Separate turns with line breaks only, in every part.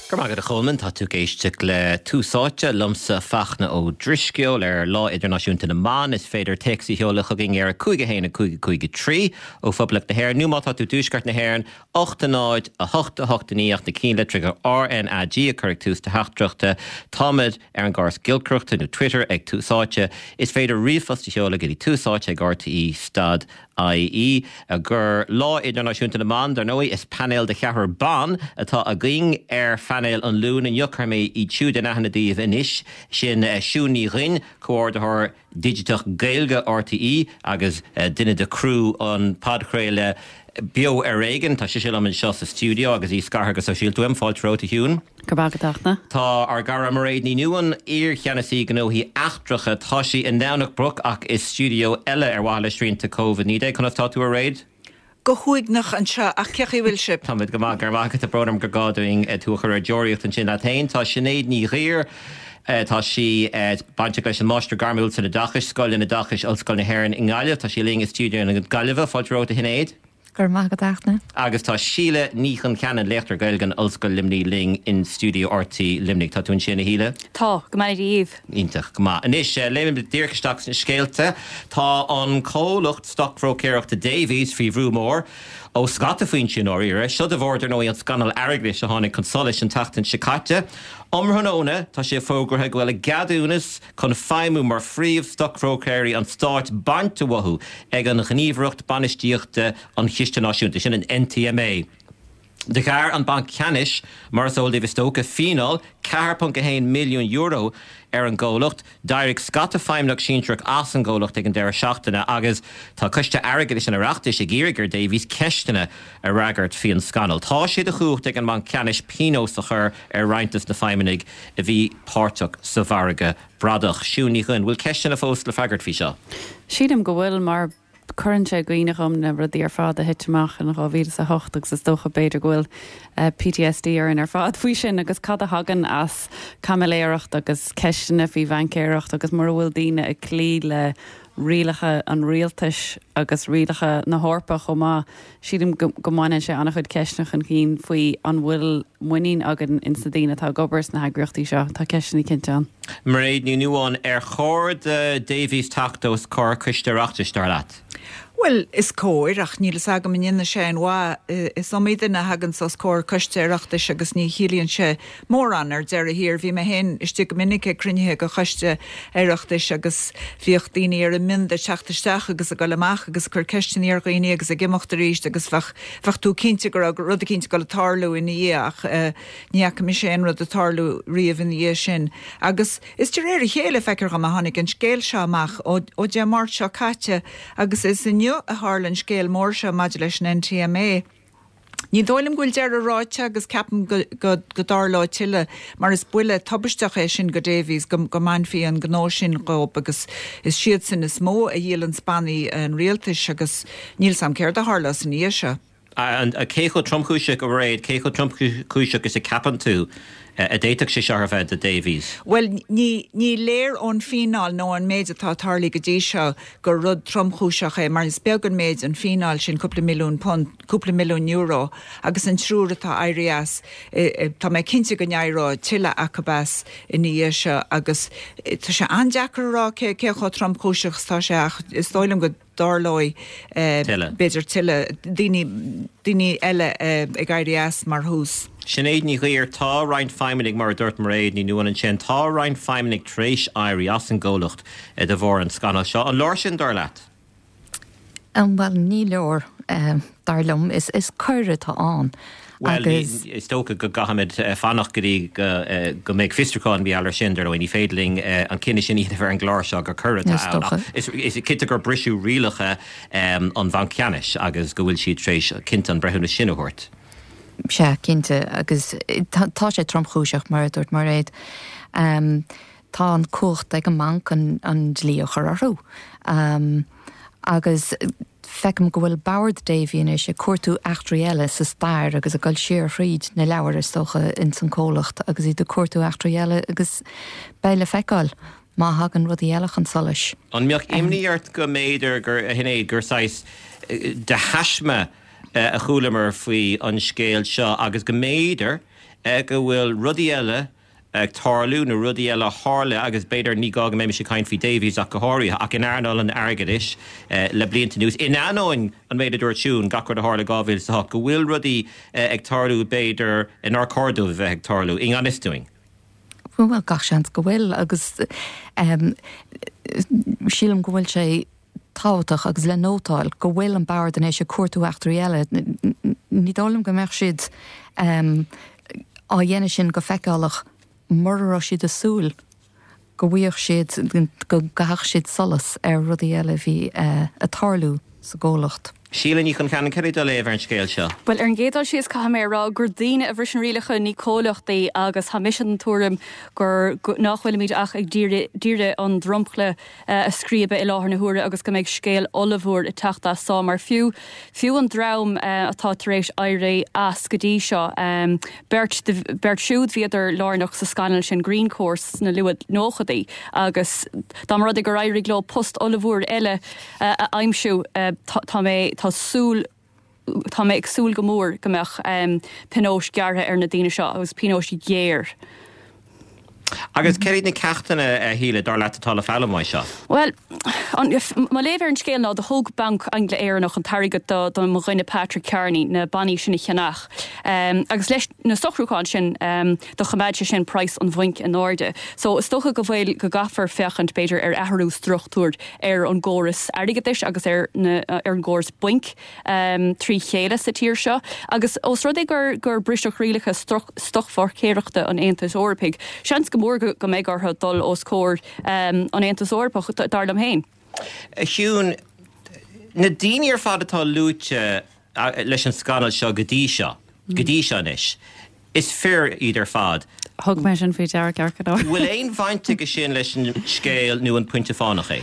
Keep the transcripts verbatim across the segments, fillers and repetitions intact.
Go maith agat a Cholman tá tú ag éisteacht le Tús Áite liomsa Fachtna Ó Drisceoil ar Lá Idirnáisiúnta na mBan is féidir téacs a sheoladh chugainn ar a cúig a haon a cúig a cúig a trí ó Phoblacht na hÉireann nó má tá tú i dtuaisceart na hÉireann ocht a náid a hocht a hocht a naoi ach na ceannlitreacha RNAG a chur ag tús do theachtaireachta Táimid ar an gcóras giolcaireachta nó Twitter ag Tús Áite is féidir ríomhphost a sheoladh go dtí tús áite ag RTE stad IE gur Lá Idirnáisiúnta na mBan dar ndóigh is painéal de cheathrar ban atá againn ar phainéal an Luain inniu cuirfidh mé iad siúd in aithne daoibh anois sin eh, Siún Ní Dhuinn comhordaitheoir digiteach Gaeilge RTE agus eh, duine de chriú an podchraoladh Beo ar Éigean tá sise liom anseo sa studio agus í scartha go sóisialta uaim fáilte romhat a Shiún.
Go bagatachna.
Tá ár gcara Mairéad Ní Nuadháin iar-cheannasaí gnóthaí eachtracha tá sí i nDomhnach Broc ach i studio eile ar mhaithe le srianta COVID naoi déag conas tá tú a Mhairéad?
Go huaigneach anseo ach cén chaoi a bhfuil sibh.
Táimid go maith gur maith tá brón orm gur gá dúinn tú a chur ar deoraíocht ansin leat féin tá Sinéad Ní Ghaoir Tá sí bainteach leis an Máistir Gairmiúil san Oideachas, Scoil an Oideachais Ollscoil na hÉireann i nGaillimh, tá sí linn i studio na Gaillimhe fáilte romhat a Shinéad.
Gur maith go dtaachna.
Agus tá Síle Ní Choncheanainn léachtóir Gaeilge in Ollscoil Luimnigh linn in studio RTÉ Luimnigh Tá tú ansin a Shíle?
Tá go maith daoibh.
Iontach go maith. Anois léimid díreach isteach sna scéalta Tá an comhlacht stocbhróicéireachta Davies faoi bhrú mór ó scata foinsí i ndáiríre, seo de bharr dar ndóigh an scannal airgeadais a tháinig chun solais an tseachtain seo caite. Um thráthnóna tá sé fógartha go bhfuil a gceadúnas chun feidhmiú mar phríomh stocbhróicéirí an stáit bainte uathu ag an Ghníomhaireacht Bainistíochta an Chiste Náisiúnta sin an NTMA. Ghearr an Banc Ceannais mar is eol daoibh is dócha fíneáil ceathair ponc a haon milliún euro ar an gcomhlacht. D'éirigh scata feidhmeannach sinsearach as an gcomhlacht ag an deireadh seachtaine agus tá Coiste Airgeadais an Oireachtais ag iarraidh ar Davies ceisteanna a fhreagairt faoin scannal. Tá sé de chumhacht ag an mBanc Ceannais pionós a chur ar roinnt de na feidhmeannaigh a bhí páirteach sa mhargadh bradach. Siún Ní Dhuinn, bhfuil ceisteanna fós le freagairt faoi seo.
Sílim go bhfuil mar cuireann sé i gcuimhne dhom na rudaí ar fad a thit amach in dhá mhíle a hocht agus is dócha b'fhéidir go bhfuil uh, PTSD ar an ar fad faoi sin agus cad a thagann as caimiléireacht agus ceisteanna faoi bhaincéireacht agus mura bhfuil daoine ag cloí le rialacha an rialtais agus rialacha na hEorpa chomh maith sílim go mbaineann sé an-chuid ceisteanna chun cinn faoi an bhfuil muinín againn ins na daoine atá ag obair sna heagraíochtaí seo tá ceisteanna cinnte ann.
Mairéad Ní Nuadháin ar chóir do Davies teacht os comhair coiste Oireachtais dar leat.
Well, is cóir ach níl fhios agam an ndéanfaidh sé aon mhaith is iomaí duine a thagann os comhair coiste Oireachtais agus ní chiallaíonn sé mórán ar deireadh thiar. Bhí mé féin istigh go minic ag cruinnithe de choiste Oireachtais agus bhíodh daoine ar a mbionda teacht isteach agus ag dul amach agus cur ceisteanna ar dhaoine agus ag imeacht arís agus bheadh bheadh tú cinnte go raibh rud cinnte ag tarlú ina dhiaidh ach uh, ní fhaca mise aon rud ag tarlú riamh ina dhiaidh sin. Agus is de réir a chéile feictear dom a tháinig an scéal seo amach ó, ó Dé Máirt seo caite agus is inniu a tharla an scéal mór seo maidir leis an NTMA. Ní dóigh liom go bhfuil deireadh ráite agus ceapaim go, go, go dtarlóidh tuilleadh mar is buille tubaisteach é sin go Davies go, go mbainfí an gnó sin dhóibh agus is siad sin is mó a dhíolann bannaí an rialtais agus níl 's a'm céard a tharlós ina dhiaidh seo.
An cé chomh tromchúiseach a Mhairéad, cé chomh tromchúiseach is a cheapann tú a d'fhéadfadh sé seo bheith do Davies.
Well ní, ní léir ón fíneáil nó an méid atá tarlaithe go dtí seo gur rud tromchúiseach é, mar is beag an méid an fíneáil sin cúpla milliún punt, cúpla milliún euro agus an triúr atá éirithe as e, e, tá mé cinnte go n-éireoidh tuilleadh acu as ina dhiaidh seo agus e, tá sé an-deacair a rá cé cé chomh tromchúiseach tá sé ach is dóigh liom go dtarlóidh b'fhéidir tuilleadh daoine daoine eile ag éirí as mar thús.
Sinéad Ní Ghaoir tá roinnt feidhmeannaigh mar a dúirt Mairéad Ní Nuadháin ansin tá roinnt feidhmeannaigh tar éis éirí as an gcomhlacht de bharr an scannal seo. An leor sin dar leat?
Um, well ní leor um, dar liom is is coir atá ann.
Well is dócha go gcaithfimid fanacht go dtí go mbeidh fiosrúchán beal ar sin dar ní féidir linn an cinneadh sin a dhéanamh ar an gclár seo gur coir atá Is is cinnte gur briseadh rialacha um, an Bhanc Ceannais agus go bhfuil siad tar éis cinnte an breithiúnas sin a thabhairt.
Sea cinnte agus tá sé tromchúiseach mar a dúirt Mairéad. Um, tá an cumhacht ag an mbanc an, an dlí a chur orthu. Um, agus feicim go bhfuil Bord Davy anois ag cuartú eachtraí eile sa stair agus ag dul siar thríd na leabhair is dócha in san comhlacht agus iad ag cuartú eachtraí eile agus beidh le feiceáil má thagann rudaí eile chun solais.
An mbeadh imní ort go mb'fhéidir gur hinné gur saghas de thaisme a chualamar faoi an scéal seo agus go mb'fhéidir go bhfuil rudaí eile ag tarlú nó rudaí eile a tharla agus b'fhéidir ní gá go mbeimis ag caint faoi Davies ach go háirithe ach in earnáil an airgeadais le blianta anuas. In ainneoin an méid a dúirt Siún gach rud a tharla dhá mhíle is a hocht, go bhfuil rudaí ag tarlú b'fhéidir nár chóir dóibh a bheith ag tarlú i ngan fhios dúinn.
Bhuel, gach seans go bhfuil agus sílim go bhfuil sé tábhachtach agus le nótáil go bhfuil an bord anois ag cuartú eachtraí eile. Ní dóigh liom go mbeadh siad á dhéanamh sin go feiceálach mura raibh siad ag súil go bhfaigheadh siad, go gcaithfeadh siad solas ar rudaí eile a bhí ag tarlú sa gcomhlacht.
Síle Ní Choncheanainn, cad é do léamh ar an scéal seo?
Bhuel, ar an gcéad dul síos, caithfidh mé a rá gur daoine a bhriseann rialacha, ní comhlachtaí, agus tá mise den tuairim gur nach bhfuilimid ach ag d'iarraidh an dromchla a scríobadh i láthair na huaire agus go mbeidh scéal ollmhór ag teacht as so mar fiú fiú an dream atá tar éis éirí as go dtí seo, beirt beirt siúd bhíodar lárnach sa scannal sin Greencourse sna luath nóchaidí agus dá mba rud é gur éirigh leo post ollmhór eile a aimsiú tá mé tá súil tá mé ag súil go mór go mbeadh pionóis gearrtha ar na daoine seo agus pionóis ghéar.
Agus céard iad na ceachtanna, a Shíle, dar leat atá le foghlaim uaidh seo?
Bhuel, mo léamh ar an scéal ná do thóg Banc Angla-Éireannach an t-airgead do do mo dhuine Patrick Kearney na bannaí sin a cheannach. Agus leis na socrúcháin sin do choimeád sé sin praghas an bhainc in airde. So is dócha go bhfuil go gcaithfear féachaint b'fhéidir ar athrú struchtúir ar an gcóras airgeadais agus ar na ar an gcóras bainc trí chéile sa tír seo. Agus ós rud é gur gur briseadh rialacha stocmharcaíochta an Aontais Eorpaigh, seans go mór go mbeidh orthu dul os comhair an Aontais Eorpach, dar liom féin.
A Shiún, na daoine ar fad atá luaite leis an scannal seo go dtí seo, go dtí seo anois, is fir iad ar fad.
Thug mé sin faoi deara ceart go leor.
Bhfuil aon bhaint aige sin leis an scéal nó an pointe fánach é?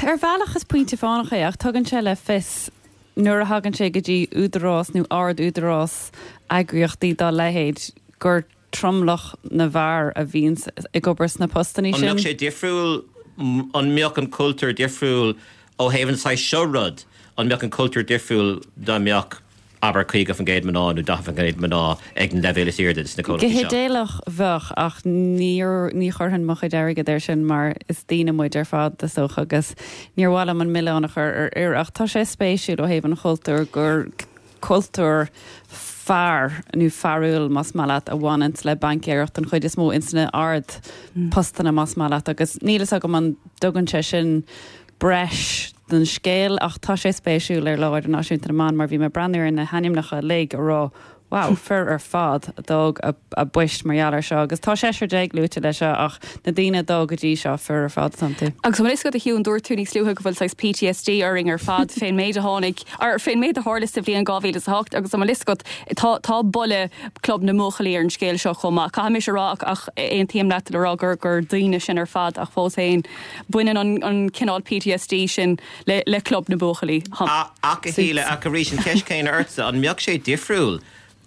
Ar bhealach is pointe fánach é ach tugann sé le fios nuair a thagann sé go dtí údarás nó ard-údarás eagraíochtaí dá leithéid gur tromlach na bhfear a bhíonns ag obair sna postannaí
An
sin.
mbeadh sé difriúil, an mbeadh an cultúr difriúil ó thaobh an saghas seo rud, an mbeadh an cultúr difriúil dá mbeadh, abair, caoga faoin gcéad mná nó daichead faoin gcéad mná ag an leibhéal is airde sna
Go
comhlachtaí seo?
hidéalach bheadh ach níor, ní chuirfinn mo chuid airgid air sin mar is daoine muid ar fad is dócha agus níor mhaith liom an milleán a chur ar fhir ach tá sé spéisiúil ó thaobh an chultúir gur cultúr fear nó fearúil más maith leat a bhaineanns le baincéireacht den chuid is mó ins na ard postanna más maith leat agus níl fhios agam an dtugann sé sin breis don scéal ach tá sé spéisiúil ar Lá Idirnáisiúnta na mBan mar bhí mé ag breathnú ar na hainmneacha uilig a raibh wow, fir ar fad a d'fhág a bpoist mar gheall air seo agus tá seisear déag luaite leis seo ach na daoine a d'fhág go dtí seo fir ar fad atá iontu.
Agus an bhfuil fhios agat a Shiún, dúirt tú níos luaithe go bhfuil saghas PTSD orainn ar fad fén méid a tháinig, or fén méid a tharla sa bhliain dhá mhíle is a hocht agus an bhfuil fhios agat tá tá boladh Club na mBuachaillí ar an scéal seo chomh maith. Caithfidh mise a rá ach ach aontaím leat le rá gur gur daoine sinn ar fad ach fós féin baineann an an cineál PTSD sin le le Club na mBuachaillí.
Ach a Shíle, ach arís an cheist chéanna ortsa, an mbeadh sé difriúil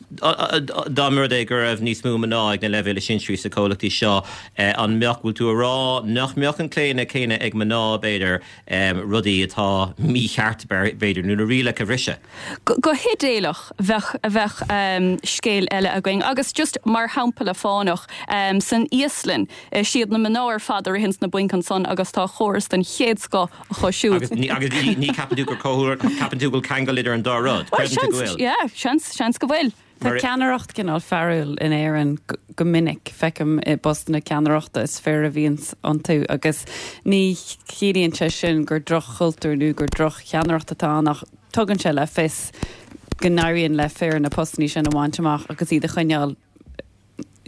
dá mba rud é go raibh níos mó mná ag na leibhéil is sinsearaí sna comhlachtaí seo, an mbeadh, bhfuil tú a rá nach mbeadh an claonadh céanna ag mná, b'fhéidir, rudaí atá mícheart, b'fhéidir, nó na rialacha a bhriseadh?
Go hidéalach, bheadh, bheadh scéal eile againn. Agus just mar shampla fánach, san Íoslainn, is iad na mná ar fad a ritheanns na bainc ansan agus tá córas den chéad scoth acu siúd.
Agus ní, agus ní, ní ceapann tú gur comh, ceapann tú go bhfuil ceangal idir an dá rud?
Well,
Creideann tú go
seans,
bhfuil?
yeah, seans, seans go bhfuil.
Tá ceannaireacht cineál fearúil in Éirinn go minic, feicim i bpostanna ceannaireachta is fir a bhíonns iontu agus ní chiallaíonn sé sin gur droch-chultúr nó gur droch-cheannaireacht atá ann ach tugann sé le fios go n-éiríonn le fir na postanna sin a bhaint amach agus iad a choinneáil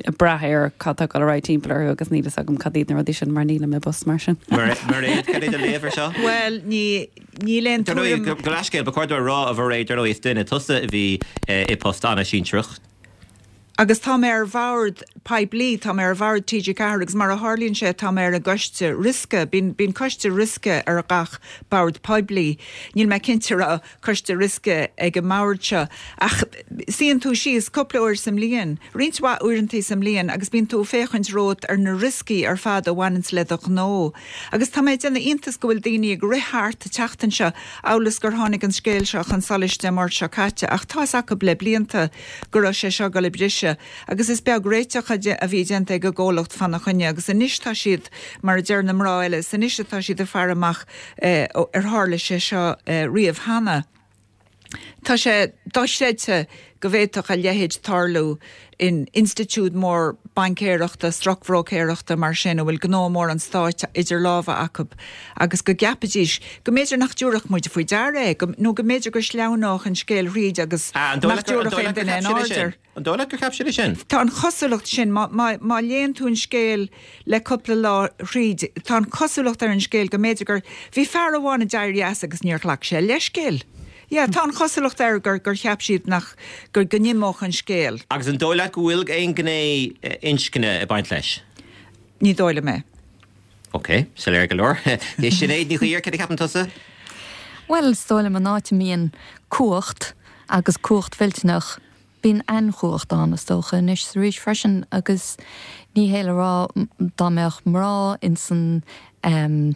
ag brath ar cad tá ag dul ar aghaidh timpeall orthu agus níl fhios agam cad iad na rudaí sin mar nílim i bpost mar sin.
Mairéad, cad é do léamh ar seo?
Bhuel, ní, níl aon
Dar ndóigh,
tuairim.
go, go leithscéal, ba chóir dom a rá, a Mhairéad, dar ndóigh, is duine tusa a bhí i bpost an-sinsearach.
Agus tá mé ar bhord poiblí, tá mé ar bhord T G ceathair agus mar a tharlaíonn sé tá mé ar an gcoiste riosca, bíonn, bíonn coiste riosca ar gach bord poiblí. Níl mé cinnte raibh coiste riosca ag an mbord seo ach suíonn tú síos cúpla uair sa mbliain, roinnt mhaith uaireanta sa mbliain agus bíonn tú ag féachaint romhat ar na rioscaí ar fad a bhaineanns le do ghnó. Agus tá mé ag déanamh iontas go bhfuil daoine ag rith thart an tseachtain seo amhail is gur tháinig an scéal seo chun solais Dé Máirt seo caite ach tá's acu le blianta go raibh sé seo ag dul ag briseadh. seo agus is beag réiteach a bhí déanta ag an gcomhlacht fána choinne agus anois tá siad mar a deir na mná eile is anois atá siad ag faire amach ar tharla sé seo riamh cheana. Tá sé dochreidte go bhféadfadh a leithéid tarlú in institiúid mór baincéireachta, stocbhróicéireachta mar sin a bhfuil gnó mór an stáit idir lámha acu agus go gceapfaidís go mb'fhéidir nach dtabharfadh muid faoi deara é, nó go mb'fhéidir go sleamhnódh an scéal thríd agus nach dtabharfadh aon duine aon aird air.
An dóigh leat gur cheap siad é sin?
Tá an chosúlacht sin, má, má, má léann tú an scéal le cúpla lá thríd, tá an chosúlacht ar an scéal go mb'fhéidir gur, bhí fear amháin a d'éirigh as agus níor ghlac sé leithscéal. Yeah, tá an chosúlacht air gur, gur cheap siad nach, gur, go n-imeodh an scéal.
Agus an dóigh leat go bhfuil aon ghné inscne ag baint leis?
Ní dóigh liom é.
Ok, soiléir go leor. Sinéad Ní Chuír, cad a cheapann tusa?
Bhuel, is dóigh liom an áit a mbíonn cumhacht agus cumhacht mhillteanach, bíonn ainchumhacht ann is dócha anois is arís freisin agus ní hé le rá dá mbeadh mná insan um,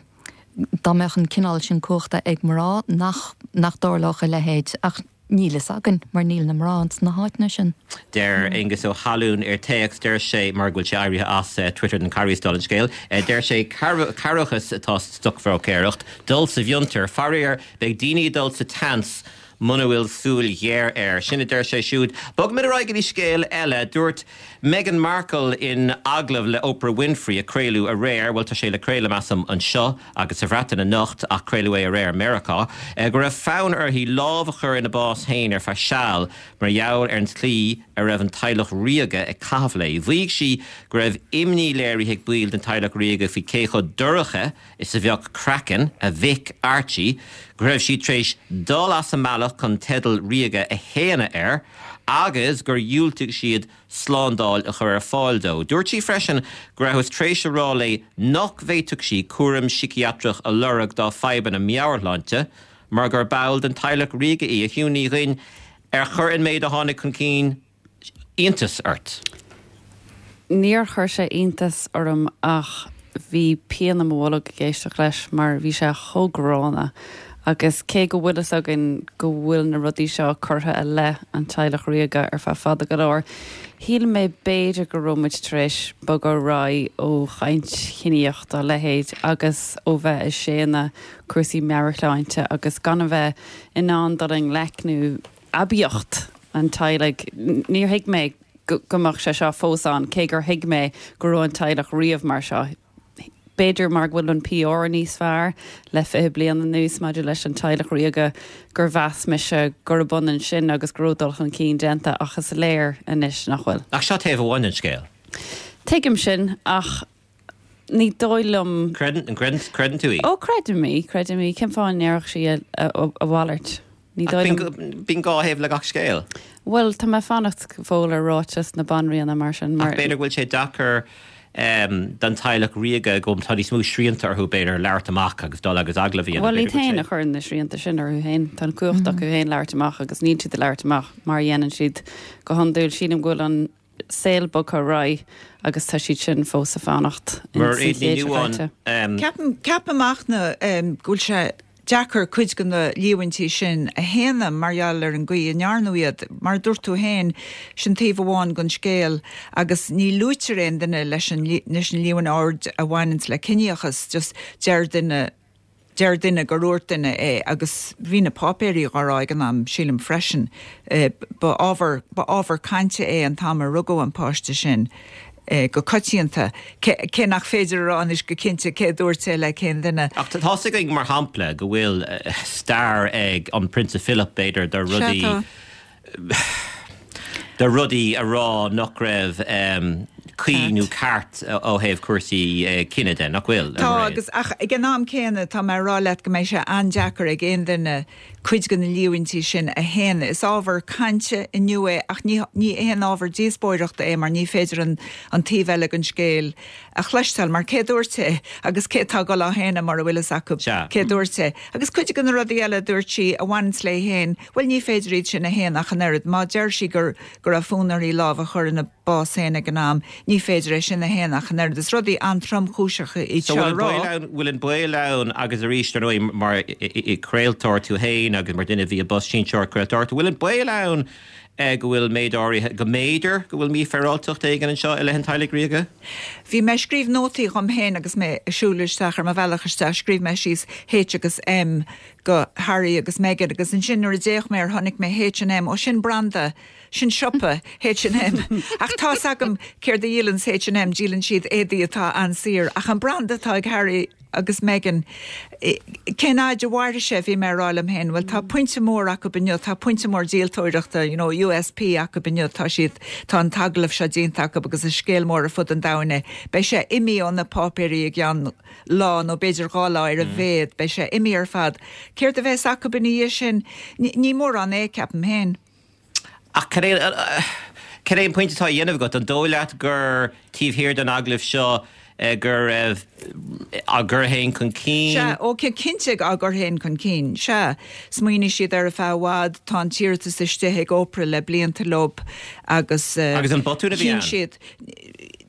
dá mbeadh an cineál sin cumhachta ag mná nach nach dtarlódh a leithéid ach níl fhios againn mar níl na mná ins na háiteanna sin.
Deir Aengus Ó hAlún ar téacs deir sé mar go bhfuil sé éirithe as eh, Twitter den Carries an scéal, eh, deir sé cearrbhachas atá sa stocbhróicéireacht, dul sa bhfiontar, faraor beidh daoine dul sa tseans muna bhfuil súil ghéar air. Sin a deir sé siúd. Bogfaimid ar aghaidh go dtí scéal eile dúirt Meghan Markle in agallamh le Oprah Winfrey a craoladh aréir, bhuel tá sé le craoladh measaim anseo agus sa Bhreatain anocht ach craoladh é aréir Meiriceá, eh, go raibh fonn uirthi lámh a chur ina bás féin ar feadh seal mar gheall ar an tslí a raibh an teaghlach ríoga ag caitheamh léi. Mhaígh sí go raibh imní léirithe ag baill den teaghlach ríoga faoi cé chomh dorcha is a bheadh craiceann a mhic Archie, go raibh sí tar éis dul as an mbealach chun teideal ríoga a shéanadh air, agus gur dhiúltaigh siad slándáil a chur ar fáil dó. Dúirt sí freisin go rabhthas tar éis a rá léi nach bhféadfadh sí cúram síciatrach a lorg dá fadhbanna meabhairshláinte, mar gur ball den teaghlach ríoga í a Shiún Ní Dhuinn ar chuir an méid a tháinig chun cinn iontas ort.
Níor chuir sé iontas orm ach bhí pian i mo bholg ag éisteacht leis mar bhí sé chomh gránna agus cé go bhfuil fhios againn go bhfuil na rudaí seo curtha i leith an teaghlach ríoga ar feadh fada go leor. Shíl mé b'fhéidir go raibh muid tar éis bogadh ar aghaidh ó chaint chiníoch dá leithéid agus ó bheith ag séanadh cúrsaí meabhairshláinte agus gan a bheith in ann dul i ngleic nó aibíocht an teaghlaigh. Níor thuig mé go mbeadh sé seo fós ann, cé gur thuig mé go raibh an teaghlach riamh mar seo. B'fhéidir mar go bhfuil an PR níos fearr le fiche bliain anuas maidir leis an teaghlach ríoga gur mheas mise gurb ionann sin agus go raibh dul chun cinn déanta ach is léir anois nach bhfuil.
Ach seo taobh amháin den scéal.
Tuigim sin ach ní dóigh liom.
Creideann, creideann tú í?
Ó creidim í, creidim í. Cén fáth a ndéarfadh sí a, a, a mhalairt? Ní dóigh liom.
Bíonn dhá thaobh le gach scéal.
Bhuel, tá mé ag fanacht go fóill ar ráiteas na banríona mar sin.
Ach b'fhéidir go bhfuil sé deacair don teaghlach ríoga go tá níos mó srianta orthu b'fhéidir labhairt amach agus dul agus agallamh a dhéanamh.
Bhuel, iad féin a chuireann na srianta sin orthu féin. Tá an cumhacht acu féin labhairt amach agus níl siad ag labhairt amach mar a dhéanann siad go hiondúil. Sílim go bhfuil an saol bogtha ar aghaidh agus tá siad sin fós ag fanacht
Mar sa chéad seo caite.
Ceapaim, ceapaim ach na go bhfuil sé deacair cuid de na líomhaintí sin a shéanadh mar gheall ar an gcaoi a ndearnadh iad. Mar a dúirt tú féin, sin taobh amháin den scéal agus ní luaitear aon duine leis an leis an líomhain ard a bhaineanns le ciníochas, just deir duine deir duine gur dhúirt duine é agus bhí na páipéirí dhá rá ag an am, sílim freisin. Ba ábhar ba ábhar cainte é an t-am a rugadh an páiste sin. go coitianta, cé nach féidir a rá anois go cinnte cé a dúirt é le cén duine.
Ach tá fhios againn, mar shampla, go bhfuil stair ag an Prionsa Philip, b'fhéidir, de rudaí, de rudaí a rá nach raibh cuí nó ceart ó thaobh cúrsaí cine de, nach bhfuil?
Tá, agus ach ag an am céanna tá mé ag rá leat go mbeidh sé an-deacair ag aon duine cuid de na líomhaintí sin a shéanadh. Is ábhar cainte inniu é ach ní ní haon ábhar díospóireachta é mar ní féidir an an taobh eile den scéal a chloisteáil mar cé dúirt é agus cé atá ag dul á shéanadh mura bhfuil fhios acu cé dúirt é. Agus cuid de na rudaí eile a dúirt sí a bhaineanns léi féin, bhuel ní féidir iad sin a shéanadh ach an oiread. Má deir sí gur go raibh fonn uirthi lámh a chur ina bás féin ag an am, ní féidir é sin a shéanadh ach an oiread. Is rudaí an-tromchúiseacha iad
seo a rá. Bhfuil an baol ann, agus arís, ar ndóigh, mar craoltóir tú féin agus mar duine a bhí i bpost sinsearach craoltóireachta, bhfuil an baol ann go bhfuil méid áirithe, go mb'fhéidir go bhfuil mífhéaráilteacht éigin anseo i leith an teaghlaigh ríoga?
Bhí mé ag scríobh nótaí dhom féin agus mé ag siúl isteach ar mo bhealach isteach, scríobh mé síos H agus M go Harry agus Meghan agus ansin nuair a d'fhéach mé air chonaic mé H and M, ó sin branda, sin siopa H and M. Ach tá's agam céard a dhíolanns H and M, díolann siad éadaí atá an-saor ach an branda atá ag Harry agus Meghan, cén fhaid a mhairfidh sé, bhí mé ag rá liom féin, bhuel tá pointe mór acu inniu, tá pointe mór díoltóireachta, you know, U S P acu inniu, tá siad, tá an t-agallamh seo déanta acu agus is scéal mór ar fud an domhain é. Beidh sé imithe ó na páipéirí i gceann lá nó b'fhéidir dhá lá ar a mhéad, beidh sé imithe ar fad. Céard a bheas acu ina dhiaidh sin? Ní mórán é, ceapaim féin.
Ach cad é cad é an pointe atá á dhéanamh agat? An dóigh leat gur taobh thiar den agallamh seo go raibh á gcur féin chun cinn?
Sea, ó cinnte á gcur féin chun cinn. Sea, smaoinigh siad ar feadh i bhfad, tá an t-iarratas istigh ag Oprah le blianta leo agus
Agus an botún a bhí ann?
siad.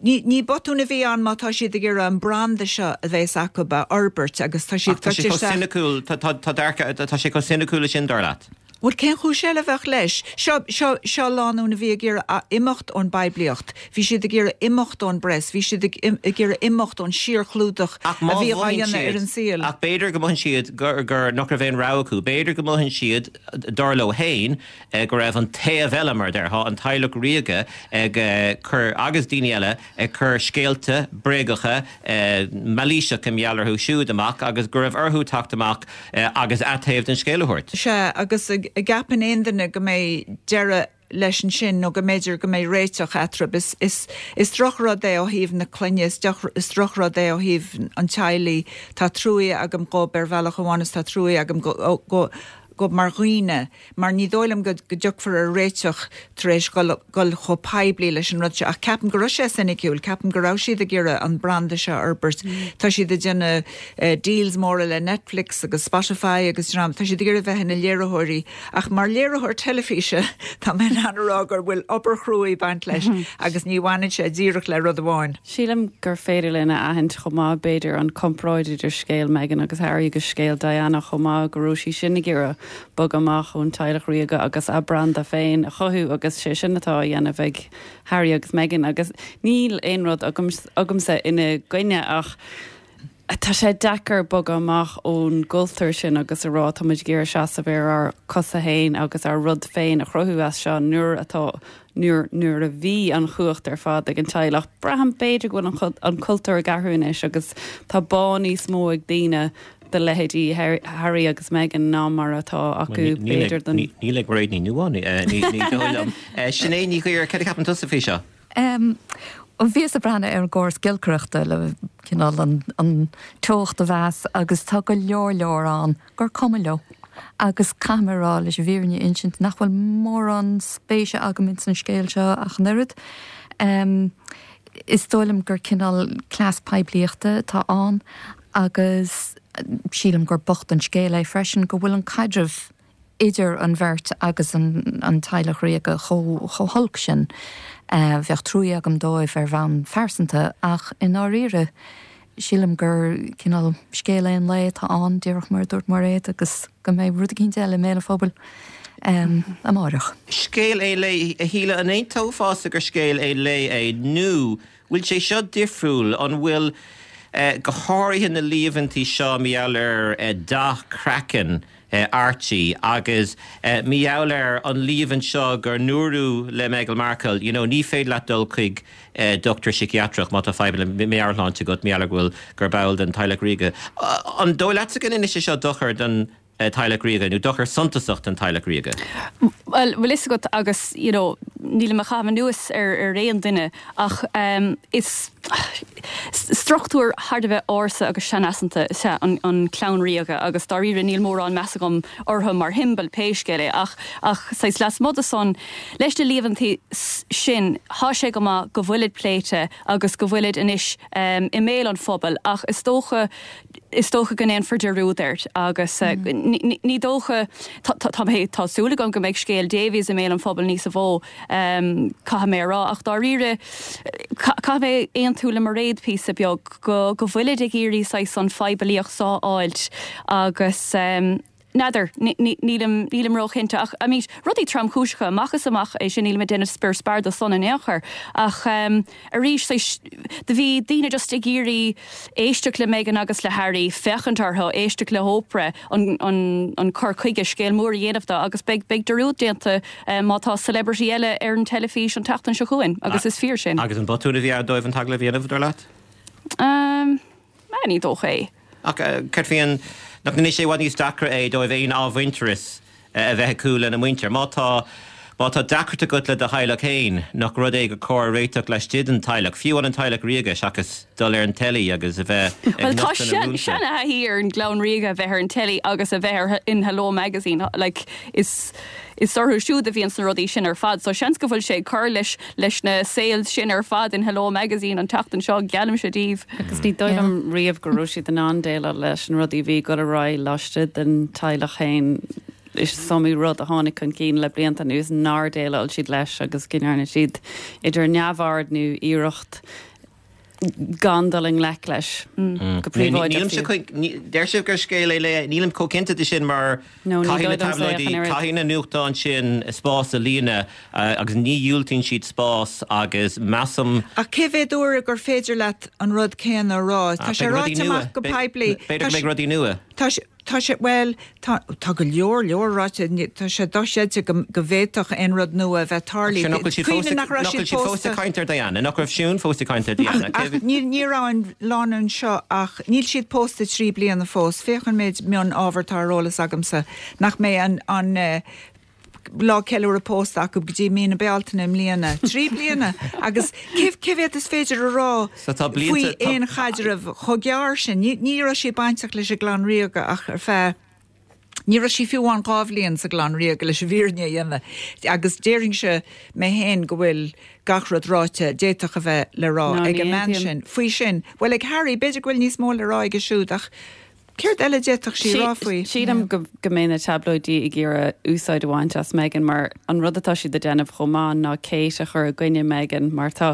Ní, ní botún a bhí ann má tá siad ag iarraidh an branda seo a bheas acu a fhorbairt agus tá siad
Tá sé chomh soiniciúil, tá tá sé chomh soiniciúil sin dar leat?
Bhuel cén chúis eile a bheadh leis? Seo seo seo lánúin a bhí ag iarraidh imeacht ón bpoiblíocht, Bhí siad ag iarraidh imeacht ón bpress, bhí siad ag iarraidh imeacht ón síorchlúdach a bhí á dhéanamh ar an saol.
Ach b'fhéidir go mothaíonn siad gur gur nach raibh aon rogha acu, b'fhéidir go mothaíonn siad dar leo féin go raibh an taobh eile mar déarfá an teaghlach ríoga ag cur agus daoine eile ag cur scéalta bréagacha mailíseacha mar gheall orthu siúd amach agus go raibh orthu teacht amach agus a dtaobh den scéal a thabhairt.
Sea agus an gceapann aon duine go mbeidh deireadh leis ansin nó go mb'fhéidir go mbeidh réiteach eatarthu is is is drochrud é ó thaobh na clainne is is drochrud é ó thaobh an teaghlaigh tá trua agam dóibh ar bhealach amháin is tá trua agam go go go mar dhaoine mar ní dóigh liom go go dtiocfar ar réiteach tar éis gul chomh poiblí leis an rud seo ach ceapaim go raibh sé soiniciúil, ceapaim go raibh siad ag iarraidh an branda seo a fhorbairt. Tá siad ag déanamh uh, deals móra le Netflix agus Spotify agus tá siad ag iarraidh bheith ina léiritheoirí ach mar léiritheoir teilifíse tá mé in ann a rá gur bhfuil obair chrua ag baint leis agus ní bhaineann sé díreach le rud amháin.
Sílim gur féidir linn a aithint chomh maith b'fhéidir an comparáid idir scéal Meghan agus Harry agus scéal Diana chomh maith go raibh sí sin ag iarraidh bogadh amach ón teaghlach ríoga agus a branda féin a chothú agus sé sin atá á dhéanamh ag Harry agus Meghan agus níl aon rud agamsa ina gcoinne ach tá sé deacair bogadh amach ón gcultúr sin agus a rá tá muid ag iarraidh seasamh ar ár gcosa féin agus ár rud féin a chruthú as seo nuair atá nuair nuair a bhí an chumhacht ar fad ag an teaghlach. Braithim b'fhéidir go bhfuil an cultúr ag athrú anois agus tá bá níos mó ag daoine do leithéidí Harry agus Meghan ná mar atá acu
b'fhéidir den. Níl ag réad ní nuá ní liom. Sinéad Ní Ghuidhir cad a cheapann tusa faoi seo?
Bhíos ag breathnú ar an gcóras giolcaireachta le cineál an, an teocht a mheas agus tá go leor leor ann gur cuma leo. Agus caithfidh mé leis an bhfírinne a insint nach bhfuil mórán spéise agam ins an scéal seo ach an oiread. Um, is dóigh liom gur cineál cleas poiblíochta atá ann agus sílim gur bocht an scéal é freisin go bhfuil an caidreamh idir an bheirt agus an, an teaghlach ríoga chomh holc sin. Uh, bheadh trua agam dóibh ar bhonn phearsanta ach i ndáiríre sílim gur cineál scéal aon lae atá ann díreach mar dúirt Mairéad agus go mbeidh rud éigin eile i mbéal an phobail um, amárach.
Scéal aon lae a Shíle an aontófá gur scéal aon lae é nó bhfuil sé seo difriúil an bhfuil uh, go háirithe na líomhaintí seo mar gheall ar uh, dath craicinn uh, Archie agus uh, mar gheall ar an líomhaint seo gur dúradh le Meghan Markle, you know, ní féidir leat dul chuig uh, dochtúir síciatrach má tá fadhb le meabhairshláinte agat mar gheall bhfuil gur ball den teaghlach ríoga. Uh, an dóigh leat go ndéanann sé seo dochar den uh, teaghlach ríoga nó dochar suntasach den teaghlach ríoga.
Well bhfuil fhios agat agus you know, níl mé ag caitheamh anuas ar ar aon duine ach um, is struchtúr thar a bheith ársa agus seanaiseanta is ea an, an chlann ríoga agus dáiríre níl mórán meas agam orthu mar shiombail pé scéal é ach ach saghas lasmuigh de san leis na líomhaintí sin tá sé go maith go bhfuilid pléite agus go bhfuilid anois um, i mbéal an phobail ach is dócha is dócha go ndéanfar dearúd air agus uh, mm. ní dócha tá tá súil agam go mbeidh scéal Davies i mbéal an phobail níos mó um, caithfidh mé rá ach dáiríre caithfidh mé aontú le Mairéad píosa beag go go bhfuilid ag iarraidh saghas an phoiblíocht seo a fháilt agus um, N'fheadar, nílim nílim róchinnte ach I mean rudaí tromchúiseacha amach is amach é sin nílim ag déanamh spior spear dó san in aon chor ach um, arís do bhí daoine just ag iarraidh éisteacht le Meghan agus le Harry féachaint orthu éisteacht le hOprah an, an, an cur chuige scéal mór a dhéanamh de agus beidh beidh dearúd déanta um, má tá celebrity eile ar an teilifís an tseachtain seo chugainn agus is fíor sin.
Agus an botún a bhí ann dóibh an t-agallamh a dhéanamh dar leat?
Um, ní dócha é.
Ach cad faoin nach ndéanann sé i bhfad níos deacra é dóibh aon athmhuintearas a bheith acu lena muintir. Má tá Má tá deacracht agat le do theaghlach féin nach rud é gur cóir réiteach laistigh den teaghlach, fiú an teaghlach ríoga seachas dul ar an teilí agus a bheith
Well tá seanathaí ar an gclann ríoga a bheith ar an teilí agus a bheith ar in Hello Magazine like, is is orthu siúd a bhíonn na rudaí sin ar fad, so seans go bhfuil sé ag cur leis leis na sales sin ar fad in Hello Magazine an tseachtain seo geallaimse daoibh.
Agus ní dóigh liom riamh go raibh siad in ann déileáil leis an rudaí bhí go raibh laistigh den teaghlach féin is iomaí rud a tháinig chun cinn le blianta anuas nár dhéileáil siad leis agus go ndearna siad idir neamhaird nó iarracht gan dul i ngleic leis go príobháideach.
Deir sibh gur scéal é le nílim chomh cinnte de sin mar caithfidh na tablóidí caithfidh na nuachtáin sin spás a líonadh agus ní dhiúltaíonn siad spás agus measaim.
Ach cé mhéad uair gur féidir leat an rud céanna a rá? Tá sé ráite amach go poiblí.
B'fhéidir go mbeidh rudaí nua.
Tá Tá sé bhuel tá tá go leor leor ráite tá sé dochreidte go go bhféadfadh aon rud nua a bheith tarlaithe.
Nach bhfuil siad nach raibh siad fós ag caint ar Diana, nach raibh Siún fós ag caint ar Diana.
Ach ní ní raibh an lánúin seo ach níl siad pósta trí bliana fós. Féach an méid mion ábhar atá ar eolas agamsa nach mbeidh an an lá ceiliúradh pósta acu go dtí mí na Bealtaine i mbliana. Trí bliana agus cé cé mhéad is féidir a rá faoi aon chaidreamh chomh gearr sin. Ní ní raibh sí bainteach leis an gclann ríoga ach ar feadh Ní raibh sí fiú amháin dhá bhliain sa gclann ríoga leis an bhfírinne a dhéanamh agus déarfainnse mé féin go bhfuil gach rud ráite d'fhéadfadh a bheith le rá ag an mbean sin. Faoi sin, bhuel ag Harry, b'fhéidir go bhfuil níos mó le rá aige siúd ach Céard eile a d'fhéadfadh sí a rá faoi?
Sílim go go mbeidh na tablóidí ag iarraidh úsáid a bhaint as Meghan mar an rud atá siad ag déanamh chomh maith ná Kate a chur i gcoinne Meghan mar tá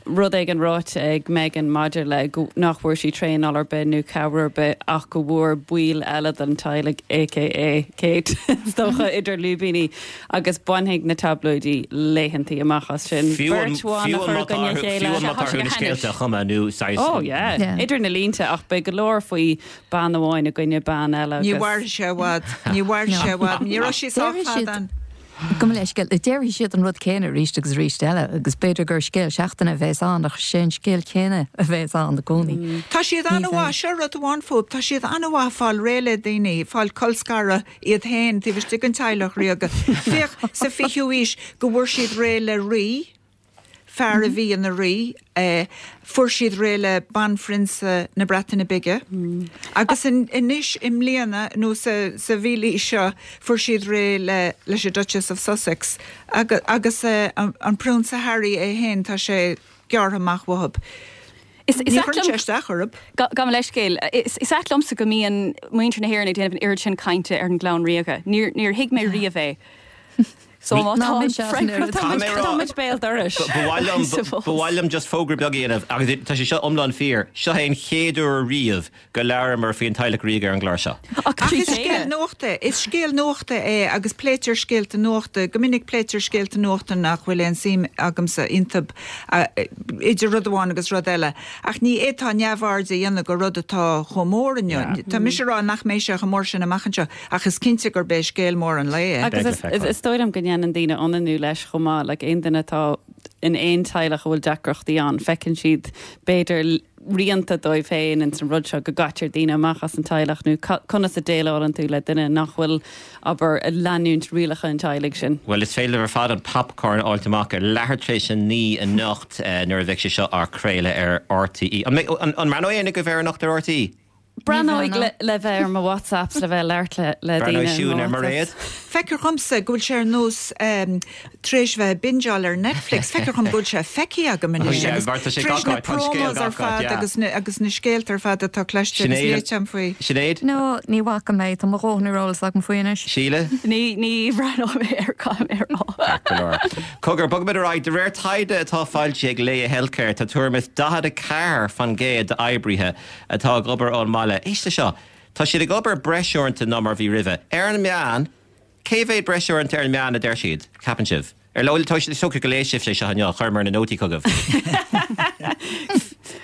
rud éigin ráite ag Meghan maidir le go nach bhfuair sí traenáil ar bith nó cabhair ar bith ach go bhfuair baill eile den teaghlach aka Kate is dócha idir lúibíní agus bainfidh na tablóidí laethantaí amach as sin.
Fiú an
Beirt bhan a
fiú
chur
an
i gcoinne a
fiú
chéile.
an má tá orthu na scéalta a chumadh nó saghas
Oh yeah.
Yeah.
Idir na línte ach beidh go leor faoi bean amháin i gcoinne bean eile
Ní
agus
mhairfidh sé i bhfad, ní mhairfidh sé i bhfad, ní raibh sí sách
Déarfaidh siad
fada ann.
Gabh mo leithscéal, déarfaidh siad an rud céanna arís agus arís eile agus b'fhéidir gur scéal seachtaine a bheas ann ach sé an scéal céanna a bheas ann i gcónaí.
Tá siad
Ní
an-mhaith,
bheidh.
seo rud amháin fúthu, tá siad an-mhaith fáil réidh le daoine, fáil colscaradh iad féin taobh istigh den teaghlach ríoga. Féach sa fichiú aois go bhfuair siad réidh le rí, fear a bhí ina rí, eh, fuair siad réidh le banphrionsa na Breataine Bige. Agus in, anois i mbliana nó sa, sa mhílaois seo fuair siad réidh le leis an Duchess of Sussex agus, agus eh, an, an Prionsa Harry é féin tá sé gearrtha amach uathu.
Is is
Ní
ait
chuireann sé
liom
isteach orthu.
Gabh mo leithscéal is is ait liomsa go mbíonn muintir na hÉireann ag déanamh an oiread sin cainte ar an gclann ríoga. Níor níor thuig mé riamh é. So má
Ná
tá
mise as an oiread.
Tá mé rá-
Tá muid béal dorais.
Ba mhaith liom-
suppose.
ba mhaith liom just fógra beag a dhéanamh agus tá sé seo iomlán fíor. Seo é an chéad uair riamh go labhramar faoin teaghlach ríoga ar an gclár seo.
Ach
Ach
trí
is scéal
chéile.
nuachta, is scéal nuachta é agus pléitear scéalta nuachta, go minic pléitear scéalta nuachta nach bhfuil aon suim agamsa iontu idir rud amháin agus rud eile. Ach ní fhéadfá neamhaird a dhéanamh de rud atá chomh mór inniu. Tá mise rá nach mbeidh sé chomh mór sin amach anseo, ach is cinnte gurb é scéal mór an lae é.
Agus
Beidh le
is,
feiceáil.
is, is dóigh liom go ndéanann daoine ionannú leis chomh maith, like aon duine atá in aon teaghlach a bhfuil deacrachtaí ann, feiceann siad b'fhéidir rianta dóibh féin in san rud seo go gcaitear daoine amach as an teaghlach nó conas a dhéileálann tú le duine nach bhfuil abair ag leanúint rialacha an teaghlaigh sin.
Well is féidir ar fad an popcorn a fháil amach ar leathuair tar éis a naoi anocht eh, nuair a bheidh sé seo á chraoladh ar RTÉ. An an an mbreathnóidh éinne agaibh air anocht ar RTÉ?
Breathnóidh le, le bheith ar mo WhatsApps le bheith labhairt le, le
Breathnóidh
daoine
Siún ar
mo
Mairéad?
Feictear dhomsa go bhfuil sé ar nós um, tar éis bheith bingeáil ar Netflix, Feictear dhom go bhfuil sé feicthe agam anois
Oh, yeah,
agus
mar tá sé
tar éis
gach
na
áit, tá an scéal
promos ar
gach áit,
fad
yeah.
agus na, agus na scéalta ar fad atá cloiste agus
Sinéad-
léite agam faoi.
Sinéad?
No, ní bhfaca mé tá mo dhóthain ar eolas agam faoi anois.
Síle?
Ní ní bhreathnóidh mé air caithfidh mé a rá.
Go leor. Cogar bogfaimid ar aghaidh de réir taighde atá foilsithe ag Laya Healthcare tá tuairim is daichead a ceathair faoin gcéad d'oibrithe atá ag obair ón mbaile. Éist leis seo, Tá siad ag obair breis uaireanta ná mar bhí roimhe. Ar an meán, cé mhéad breis uaireanta ar an meán a deir siad, ceapann sibh? Ar leol tá sé socair go léigh sibh sé seo inniu, chuireamar na nótaí chugaibh.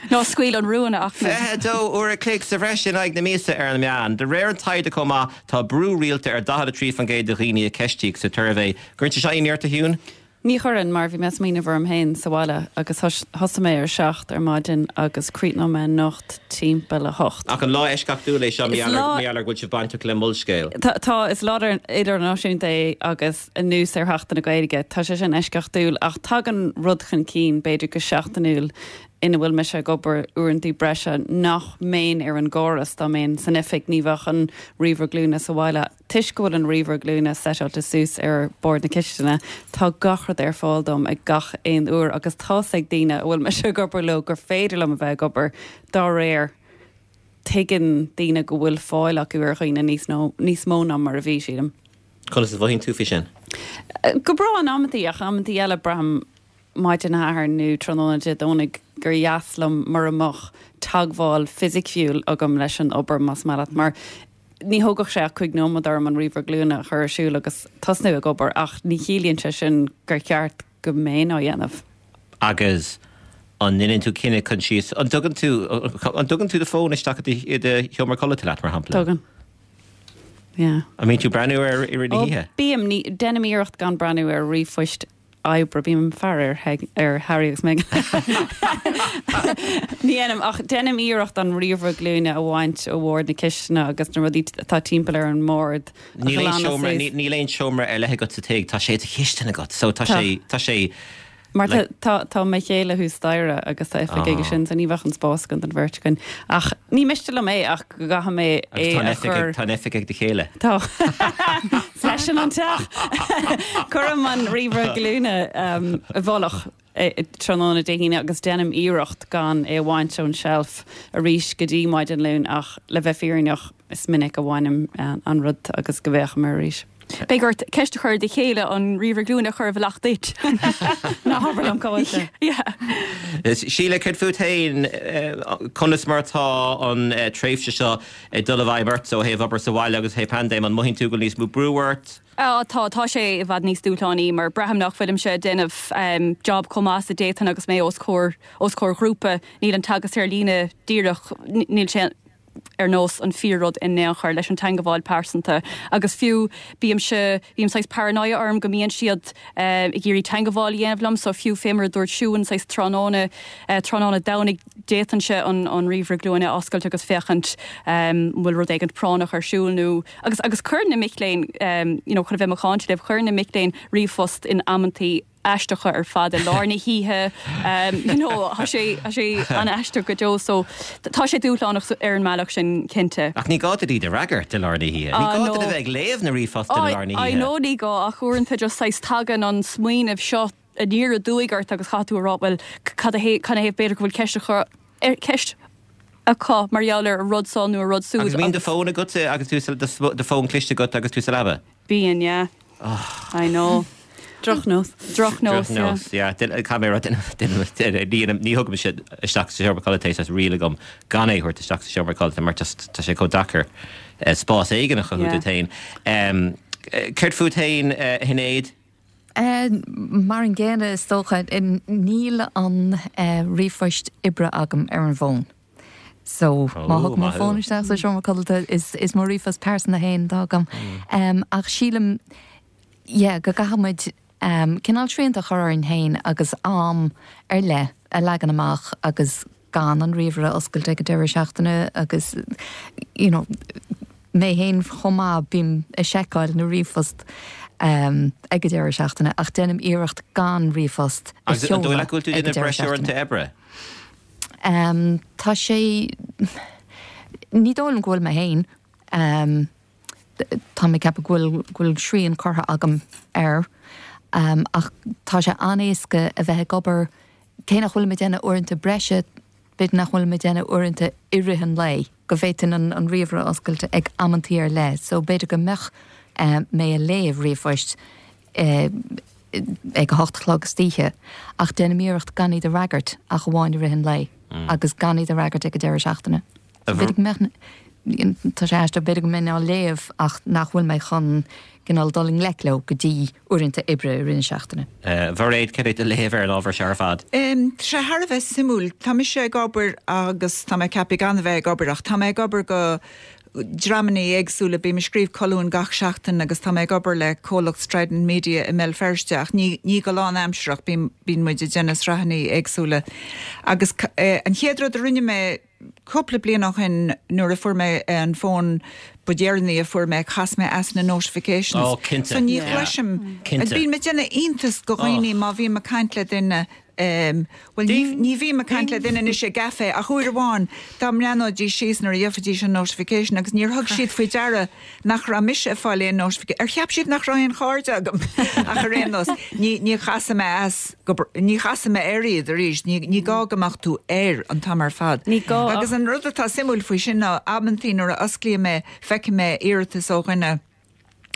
Ná scaoil an rún a Fhachtna.
Fiche a dó uair a chloig sa bhreis in aghaidh na míosa ar an meán. De réir an taighde chomh maith, tá brú rialta ar daichead a trí faoin gcéad de dhaoine a ceistíodh sa tsuirbhé. Cuireann sé seo ionadh ort, a Shiún?
Ní chuireann, mar bhí mé ag smaoineamh orm féin sa bhaile agus thosaigh mé ar seacht ar maidin agus chríochnaigh mé anocht timpeall a hocht.
Ach an lá eisceachtúil é seo, mar gheall ar go bhfuil sibh bainteach le Molscéal?
Tá, tá, is lá idirnáisiúnta é agus anuas ar Sheachtain na Gaeilge, tá sé sin eisceachtúil ach tagann rud chun cinn, b'fhéidir go seachtainiúil, ina bhfuil mise ag obair uaireanta breise nach mbeinn ar an gcóras dá mbeinn san oifig, ní bheadh an ríomhaire glúine sa bhaile. Toisc go bhfuil an ríomhaire glúine seiteáilte suas ar bord na cistine, tá gach rud ar fáil dom ag gach aon uair agus tá's ag daoine a bhfuil mise ag obair leo gur féidir liom a bheith ag obair dá réir. Tuigeann daoine go bhfuil fáil acu ar dhaoine níos níos mó ná mar a bhí, sílim.
Conas a mhothaíonn tú faoi sin?
Go breá in amantaí ach amantaí eile braithim maidin Shathairn nó tráthnóna Dé Domhnaigh gur dheas liom mura mbeadh teagmháil fisiciúil agam leis an obair, más maith leat, mar ní thógfadh sé ach cúig nóiméad orm an ríomhaire glúine a chur ar siúl agus tosnú ag obair, ach ní chiallaíonn sé sin gur cheart go mbeinn á dhéanamh.
Agus an ndéanann tú cinneadh coinsiasach, an dtugann tú, an dtugann tú do fón isteach i do sheomra codlata leat, mar shampla?
Tugann. Yeah.
An mbíonn tú ag breathnú air i rith na hoíche?
Bím, ní, déanaim iarracht gan breathnú ar ríomhphoist oibre, bím ag faire ar ar Harry agus Meghan. Ní dhéanaim, ach déanaim iarracht an ríomhaire glúine a bhaint ó bhord na cistine agus na rudaí atá timpeall ar an mbord
a Níl aon ghlanadh seomra, suas. níl aon seomra ar leith agat sa tigh, tá sé i do chistin agat, so tá Tá. sé, tá sé
Mar tá, tá, tá mo chéile thuas staighre agus tá oifig aige sin, so ní bheadh an spás againn don bheirt againn. Ach ní miste liom é ach go gcaithfidh mé
é
a chur.
Tá an oifig ag do chéile.
Tá. Is leisean an teach. Cuirim an ríomhaire glúine i bhfolach tráthnóna Dé hAoine agus déanaim iarracht gan é a bhaint ón tseilf arís go dtí maidin Luain ach le bheith fírinneach is minic a bhainim an rud agus go bhféachaim air arís.
Beidh ort ceist a chur ar do chéile an ríomhaire glúine a chur i bhfolach duit.
Ná habair liom cá bhfuil sé.
Síle, céard fút féin, conas mar atá an tréimhse seo ag dul i bhfeidhm ort ó thaobh obair sa bhaile agus ó thaobh paindéim, an mothaíonn tú go bhfuil níos mó brú ort?
Á tá, tá sé i bhfad níos dúshlánaí mar braithim nach bhfuilimse ag déanamh job chomh maith is a d'fhéadfainn agus mé os comhair os comhair ghrúpa. Níl an teagasc ar líne díreach, níl sé ar nós an fíor-rud in aon chor leis an teangabháil pearsanta agus fiú bímse, bíonn saghas paranoia orm go mbíonn siad ag iarraidh teangabháil a dhéanamh liom so fiú fé mar a dúirt Siún saghas tráthnóna, tráthnóna Domhnaigh d'fhéadfainnse an an ríomhaire glúine a oscailt agus féachaint an bhfuil rud éigint práinneach ar siúl nó agus agus cuireann na mic léinn you know chun a bheith macánta libh, cuireann na mic léinn ríomhphost in amantaí aisteacha ar fad i lár na hoíche you know tá sé tá sé an-aisteach go deo so tá sé dúshlánach ar an mbealach sin cinnte.
Ach ní gá duit iad a fhreagairt i lár na hoíche. Ní gá duit a bheith ag léamh na ríomhphost i lár na
hoíche. I know ní gá ach uaireanta just saghas tagann an smaoineamh seo aniar aduaidh ort agus caithfidh tú a rá bhuel cad a cad ina thaobh b'fhéidir go bhfuil ceist a chur ar ceist acu mar gheall ar an rud seo nó an rud
siúd Agus mbíonn do fón agat agus tú do fón cliste agat agus tú sa leaba?
Bíonn, yeah. I know.
Drochnós.
Drochnós, yeah.
Drochnós, yeah. Caithfidh mé a rá, ní thugaimse isteach sa seomra codlata é, is riail agam gan é a thabhairt isteach sa seomra codlata mar just tá sé chomh deacair spás éigin a chothú duit féin. Céard fút féin, a Shinéad?
Mar an gcéanna is dócha. Níl an ríomhphost oibre agam ar an bhfón. So má thugaim an fón isteach sa seomra codlata is is mo ríomhphost pearsanta féin atá agam. Ach sílim yeah go gcaithfidh muid cineál srianta a chur orainn féin agus am ar leith a leagan amach agus gan an ríomhaire a oscailt ag an deireadh seachtaine agus you know mé féin chomh maith bím ag seiceáil na ríomhphost ag an deireadh seachtaine ach déanaim iarracht gan ríomhphost
a Agus an dóigh leat go bhfuil tú ag an déanamh deireadh breis uaireanta seachtaine. oibre?
Tá sé, ní dóigh liom go bhfuil mé féin. Tá mé ag ceapadh go bhfuil, go bhfuil srian curtha agam air. Ach tá sé an-éasca a bheith ag obair, cé nach bhfuilim ag déanamh uaireanta breise, b'fhéidir nach bhfuilim ag déanamh uaireanta i rith an lae, go bhféadfainn an, an ríomhaire a oscailt ag amantaí ar leith. So b'fhéidir go mbeadh mé ag léamh ríomhphoist ag a hocht a chlog istoíche, ach déanaim iarracht gan iad a fhreagairt ach amháin i rith an lae agus gan iad a fhreagairt ag an deireadh seachtaine. So b'fhéidir go mbeadh, Tá sé aisteach b'fhéidir go mbeinn á léamh ach nach bhfuil mé chun cineál dul i ngleic leo go dtí uaireanta oibre i rith na seachtaine.
Mhairéad, cad é do léamh ar an ábhar seo ar fad?
Tá sé thar a bheith suimiúil. Tá mise ag obair agus tá mé ceaptha gan a bheith ag obair ach tá mé ag obair go dreamanna éagsúla. Bím ag scríobh colúin gach seachtain agus tá mé ag obair le comhlacht Strident Media i mBéal Feirste ach ní ní go lánaimsearach bím bíonn muid ag déanamh sraitheanna éagsúla. Agus an chéad rud a rinne mé cúpla bliain ó shin nuair a fuair mé an fón ba dheireanaí a fuair mé chas mé as na notifications.
Oh, cinnte.
So ní chloisim.
Cinnte.
Bíonn mé ag déanamh iontas go dhaoine má bhím ag caint le duine Um, well ní ní bhím ag caint le duine anois i gcaife ach uair amháin dá mbreathnóidís síos nuair a gheobhaidís an notification agus níor thug siad faoi deara nach raibh mise ag fáil aon notification. Ar cheap siad nach raibh aon chairde agam ach ar aon nós ní ní chasfaidh mé as go ní chasfaidh mé air iad arís ní ní gá go mbeadh tú air an t-am ar fad.
Ní gá
Agus an rud atá suimiúil faoi sin ná amantaí nuair a osclaím é feicim mé iarratas ó dhuine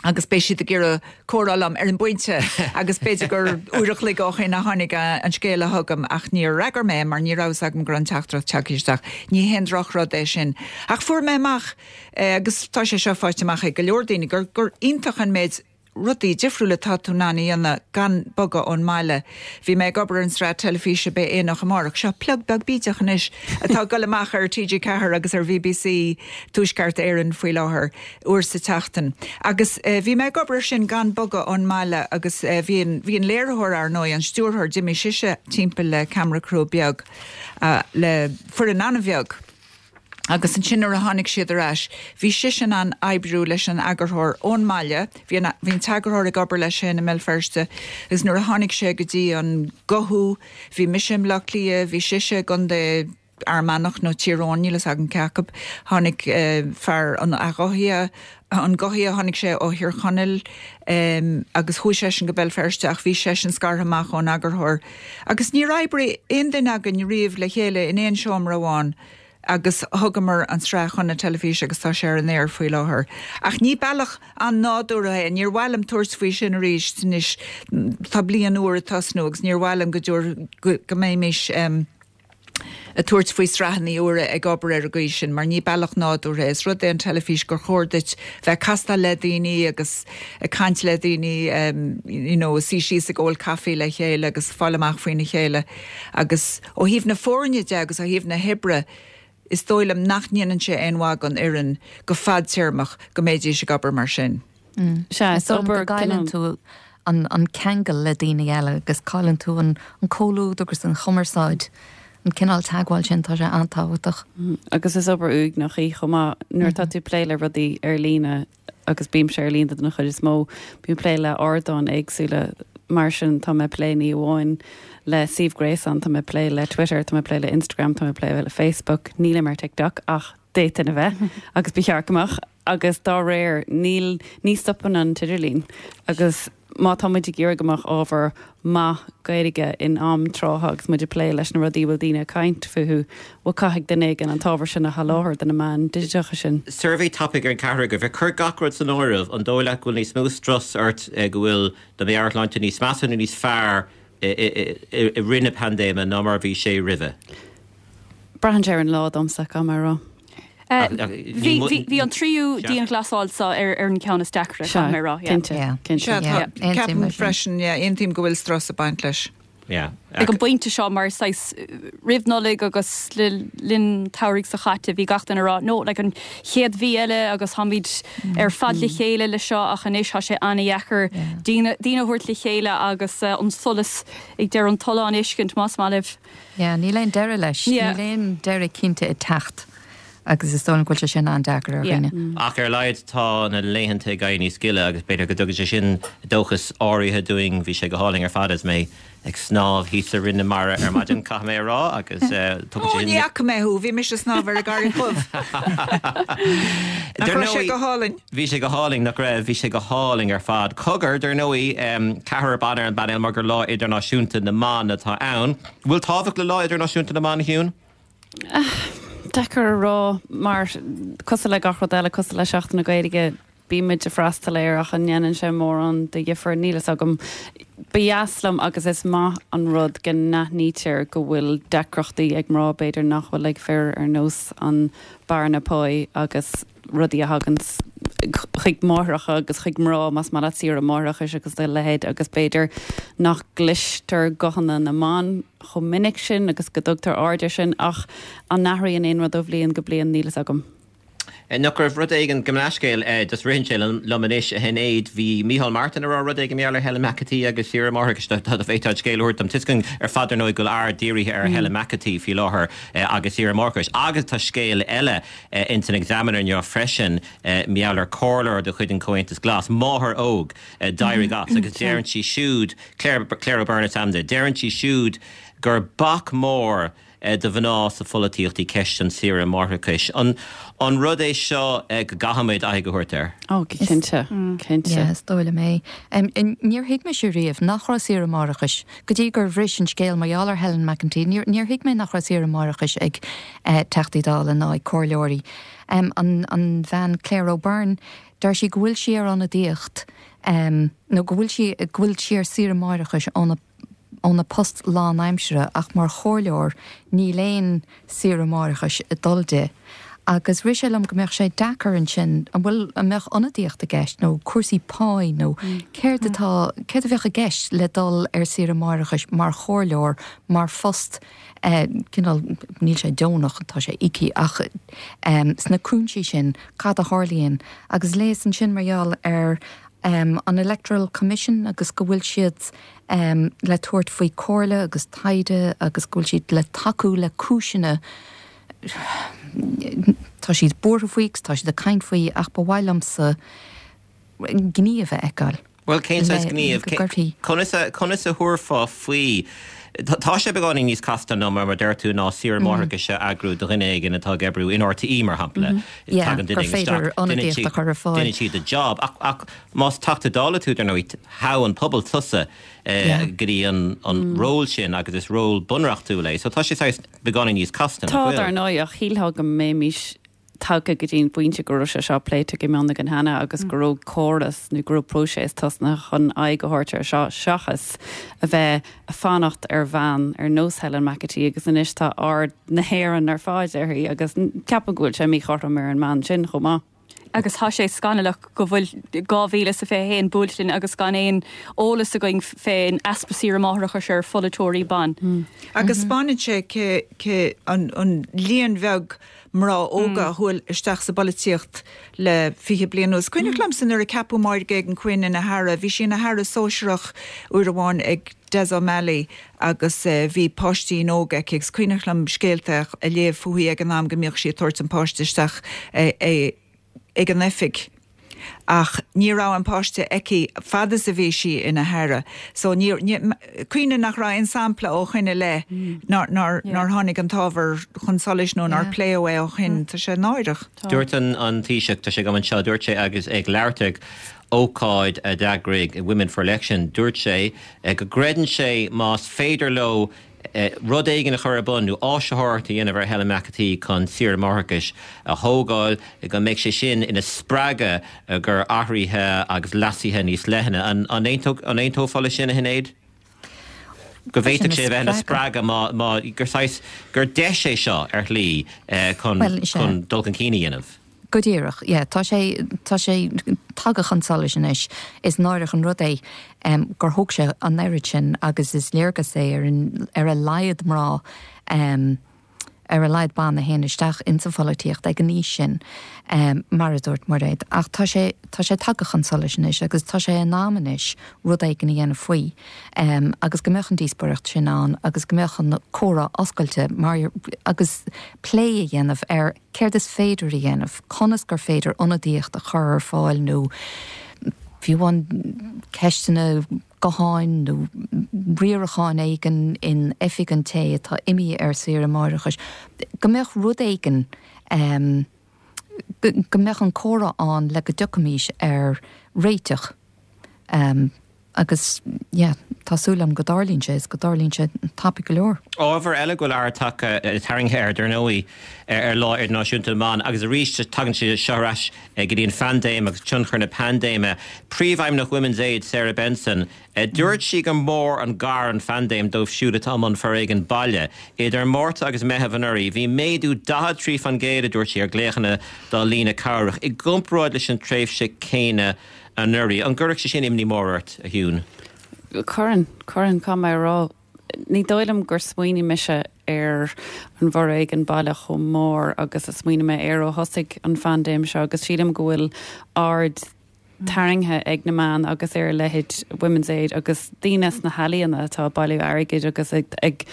agus beidh siad ag iarraidh comhrá liom ar an bpointe agus b'fhéidir gur uair a chloig ó shin a tháinig an scéal a chugam ach níor fhreagair mé mar ní raibh a fhios agam go raibh an teachtaireacht tagtha isteach. Ní haon drochrud é sin. Ach fuair mé amach agus tá sé seo faighte amach ag go leor daoine gur gur iontach an méid rudaí difriúla atá tú in ann a dhéanamh gan bogadh ón mbaile. Bhí mé ag obair ar an sraith teilifíse Beidh Aonach Amárach, seo plug beag bídeach anois atá ag dul amach ar T G Ceathair agus ar B B C Tuaisceart Éireann faoi láthair uair sa tseachtain. Agus bhí mé ag obair ar sin gan bogadh ón mbaile agus bhí an bhí an léiritheoir ar ndóigh, an stiúrthóir, d'imigh sise timpeall le camera crew beag le foireann an-bheag. Agus ansin nuair a tháinig siad ar ais, bhí sise in ann oibriú leis an eagarthóir ón mbaile, bhí an bhí an t-eagarthóir ag obair leis féin i mBéal Feirste, agus nuair a tháinig sé go dtí an guthú, bhí mise i mBleá Cliath, bhí sise i gContae Fhear Manach nó Tír Eoghain, níl fhios agam cé acu, tháinig fear an athghuthaithe, an guthaithe, tháinig sé ó Thír Chonaill agus chuaigh seisean go Béal Feirste ach bhí seisean scartha amach ón eagarthóir. Agus níor oibrigh aon duine againn riamh le chéile in aon seomra amháin. agus thugamar an tsraith chun na teilifíse agus tá sé ar an aer faoi láthair. Ach ní bealach an-nádúrtha é, níor mhaith liom tabhairt faoi sin arís anois, tá bliain úr ag tosnú agus níor mhaith liom go dtabhair, go mbeimis ag tabhairt faoi sraitheanna úra ag obair ar an gcaoi sin, mar ní bealach nádúrtha é. Is rud é an teilifís gur chóir duit bheith ag castáil le daoine agus ag caint le daoine, you know, suí síos ag ól caife le chéile agus fáil amach faoina chéile. Agus ó thaobh na foirne de agus ó thaobh na hoibre, is dóigh liom nach ndéanann sé aon mhaith don fhoireann go fadtéarmach go mbeidís ag obair mar sin.
Sea, is
Is dóigh liom
obair
go gcailleann
cineál.
tú an an ceangal le daoine eile agus cailleann tú an an comhluadar agus an chumarsáid, an cineál teagmháil sin, tá sé an-tábhachtach.
Agus is obair uaigneach í chomh maith nuair atá tú ag plé le rudaí ar líne agus bímse ar líne den chuid is mó, bím ag plé le ardáin éagsúla mar sin tá mé ag plé ní amháin le suíomh gréasáin, tá mé ag plé le Twitter, tá mé ag plé le Instagram, tá mé ag plé le Facebook, nílim ar TikTok ach d'fhéadfainn a bheith agus ba cheart go mbeadh agus dá réir níl ní stopann an t-idirlíon agus má tá muid ag iarraidh go mbeadh ábhar maith Gaeilge in am trátha agus muid ag plé leis na rudaí a bhfuil daoine ag caint fúthu, bhuel caithfidh duine éigin an t-ábhar sin a sholáthar do na meáin digiteacha sin.
Suirbhé tapaidh ar an ceathrar agaibh. Ag cur gach rud san áireamh, an dóigh leat go bhfuil níos mó strus ort go bhfuil do mheabhairshláinte níos measa nó níos fearr i rith na paindéime ná mar a bhí sé roimhe?
Braitheann sé ar an lá domsa, caithfidh mé a rá.
Bhí an tríú dianghlasáil seo ar ar an ceann is deacra, caithfidh mé a rá.
Cinnte, cinnte.
Ceapaim freisin, aontaím go bhfuil strus ag baint leis.
Ag an bpointe seo mar saghas roimh Nollaig agus le linn an tsamhraidh seo caite bhí gach duine ag rá no like an chéad mhí eile agus táimid ar fad le chéile le seo ach anois tá sé an-dheacair daoine daoine a thabhairt le chéile agus an solas ag deireadh an tolláin a fheiscint más maith libh.
Yeah, níl aon deireadh leis. Níl aon deireadh cinnte ag teacht agus is dóigh liom go bhfuil sé sin an-deacair ar dhaoine.
Ach ar a laghad tá na laethanta ag éirí níos gile agus b'fhéidir go dtugann sé sin dóchas áirithe dúinn. Bhí sé go hálainn ar fad is mé ag snámh thíos i Rinn na Mara ar maidin, caithfidh mé a rá, agus tugann sé
Ó, ní fhaca mé thú, bhí mise ag snámh ar an gCarraig Dhubh. Nach raibh sé go hálainn?
Bhí sé go hálainn, nach raibh? Bhí sé go hálainn ar fad. Cogar, dar ndóigh, ceathrar ban ar an bpainéal mar gur Lá Idirnáisiúnta na mBan atá ann. Bhfuil tábhacht le Lá Idirnáisiúnta na mBan, a Shiún?
Deacair a rá mar cosúil le gach rud eile, cosúil le Seachtain na Gaeilge, bíonn bímid ag freastal air ach an ndéanann sé mórán de dhifear níl a fhios agam. Ba dheas liom agus is maith an rud go n-aithnítear go bhfuil deacrachtaí ag mná b'fhéidir nach bhfuil ag fir ar nós an bearna pá agus rudaí a thagann chuig máithreacha agus chuig mná más maith leat saoire máithreachais agus a leithéid agus b'fhéidir nach gcloistear guthanna na mban chomh minic sin agus go dtugtar aird air sin ach an n-athraíonn aon rud ó bhliain go bliain níl a fhios agam.
Nach raibh rud éigin go leascéal just ritheann sé liom anois a Shinéad bhí Micheál Martin ag rá rud éigin mar gheall ar Helen McEntee agus saoire máithreachais tá féidir scéal a thabhairt dom tuiscint ar fad ar ndóigh go bhfuil aird dírithe ar Helen McEntee faoi láthair agus saoire máithreachais agus tá scéal eile in san Examiner inniu freisin mar gheall ar chomhairleoir de chuid an Comhaontas Glas máthair óg d'éirigh as agus deireann sí siúd Claire Claire O'Byrne is ainm di deireann sí siúd gur bac mór do mhná sa pholaitíocht í ceist an saoire máithreachais. An, an rud é seo go gcaithfimid aghaidh a thabhairt air?
Ó go cinnte cinnte.
Yes, dóile mé. Um, níor thuig mise riamh nach raibh saoire máithreachais, go dtí gur bhris an scéal mar gheall ar Helen McEntee, níor thuig mé nach raibh saoire máithreachais ag uh, Teachtaí Dála ná ag comhairleoirí. Um, an, an bhean Claire O'Byrne, deir sí go bhfuil sí ar ionadaíocht um, nó go bhfuil sí go bhfuil sí ar saoire máithreachais óna óna post lánaimseartha ach mar chomhairleoir níl aon saoire máithreachais ag dul di. Agus rith sé liom go mbeadh sé deacair ansin an bhfuil an mbeadh ionadaíocht i gceist nó cúrsaí pá nó céard atá céard a bheadh i gceist le dul ar saoire máithreachais mar chomhairleoir mar phost eh, cineál níl sé deonach tá sé íoctha ach um, sna cúinsí sin cad a tharlaíonn agus léas ansin mar gheall ar um, an Electoral Commission agus go bhfuil siad um, le tabhairt faoi comhairle agus taighde agus go bhfuil siad le tacú le cúiseanna tá siad buartha faoi tá siad ag caint faoi ach ba mhaith liomsa gníomh a fheiceáil.
Well cén saghas gníomh conas a conas a thabharfá faoi Tá sé beagáinín níos casta ná mar deir tú ná saoire máithreachais a eagrú do dhuine éigin atá ag oibriú in RTÉ mar shampla.
gur féidir ionadaíocht a chur ar fáil.
Déanann siad a job ach ach más Teachta Dála tú ar ndóigh thogh an pobal tusa go dtí an an ról sin agus is ról bunreachtúil é, so tá sé beagáinín níos casta
Tá ar ndóigh ach shílfeá go mbeimis tagtha go dtí an pointe go raibh sé seo pléite go mion againn cheana agus go raibh córas nó go raibh próiseas tosnaithe chun aghaidh a thabhairt ar seo seachas a bheith ag fanacht ar bhean ar nós Helen McEntee agus anois tá aird na hÉireann ar fad uirthi agus ceapaim go bhfuil sé míchothrom ar an mbean sin chomh maith.
Agus tá sé scannalach go bhfuil dhá mhíle sa fiche haon buailte linn agus gan aon eolas againn fén easpa saoire máithreachais ar pholaiteoirí ban.
Agus spáineann sé cé an, an líon bheag mná óga a chuaigh isteach sa bpolaitíocht le fiche bliain anuas. Cuimhneach liomsa nuair a ceapadh Máire Geoghegan Quinn ina haire, bhí sí ina haire sóisearach uair amháin ag Des O'Malley agus uh, bhí páistín óg aici agus cuimhneach liom scéalta a léamh fúithi ag an am go mbíodh sí ag tabhairt an páiste isteach eh, eh, ag an oifig. Ach ní raibh an páiste aici fad is a bhí sí ina haire. So ní cuimhin nach raibh aon sampla ó shin i leith nár nár tháinig an t-ábhar chun solais nó nár pléadh é ó shin tá sé náireach.
Dúirt an an Taoiseach tá sé go anseo dúirt sé agus ag labhairt ag ócáid a d'eagraigh Women for Election, dúirt sé go gcreideann sé más féidir leo rud éigin a chur ar bun nó áisitheoireacht a dhéanamh ar Helen McEntee chun saoire máithreachais a thógáil go mbeidh sé sin ina spreagadh gur athruithe agus leasuithe níos leithne. An an aontófá leis sin a Shinéad? Go bhféadfadh sé bheith ina spreagadh má má gur saghas gur deis é seo ar shlí chun chun dul chun cinn a dhéanamh.
Go díreach, yeah, tá sé tá sé tagtha chun solais anois is náireach an rud é um, gur thóg sé an oiread sin agus is léargas é ar an ar a laghad mná um, ar a laghad ban a théann isteach insa pholaitíocht ag an aois sin um, mar a dúirt Mairéad. Ach tá sé tá sé tagtha chun solais anois agus tá sé in am anois rud éigin a dhéanamh faoi um, agus go mbeadh an díospóireacht sin ann agus go mbeadh an comhrá oscailte mar agus plé a dhéanamh ar céard is féidir a dhéanamh, conas gur féidir ionadaíocht a chur ar fáil nó fiú an ceisteanna gutháin nó riaracháin éigin in oifig an té atá imithe ar saoire máithreachais. Go mbeadh rud éigin um, go go mbeadh an comhrá ann le go dtiocfaimis ar réiteach um, agus yeah, Tá súil agam go dtarlaíonn sé is go dtarlaíonn sé tapaidh go leor.
Ábhar eile go bhfuil aird tarraingthe air dar ndóigh ar Lá Idirnáisiúnta na mBan agus arís tagann sé seo ar ais go dtí an phaindéim agus tionchar na paindéime. Príomhfheidhmeannach Women's Aid Sarah Benson, dúirt sí gur mór an gar an phaindéim dóibh siúd atá i mbun foréigean baile. Idir Márta agus Meitheamh anuraidh, bhí méadú daichead trí faoin gcéad a dúirt sí ar ghlaochanna dá líne cabhrach i gcomparáid leis an tréimhse céanna anuraidh. An gcuirfeadh sé sin imní mór ort, a Shiún?
Cuireann, cuireann, caithfidh mé a rá. Ní dóigh liom gur smaoinigh mise ar an bhforéigean baile chomh mór agus a smaoinigh mé air ó thosaigh an phaindéim seo agus sílim go bhfuil aird tarraingthe ag na meáin agus ar a leithéid Women's Aid agus daoine sna healaíona atá ag bailiú airgid agus ag ag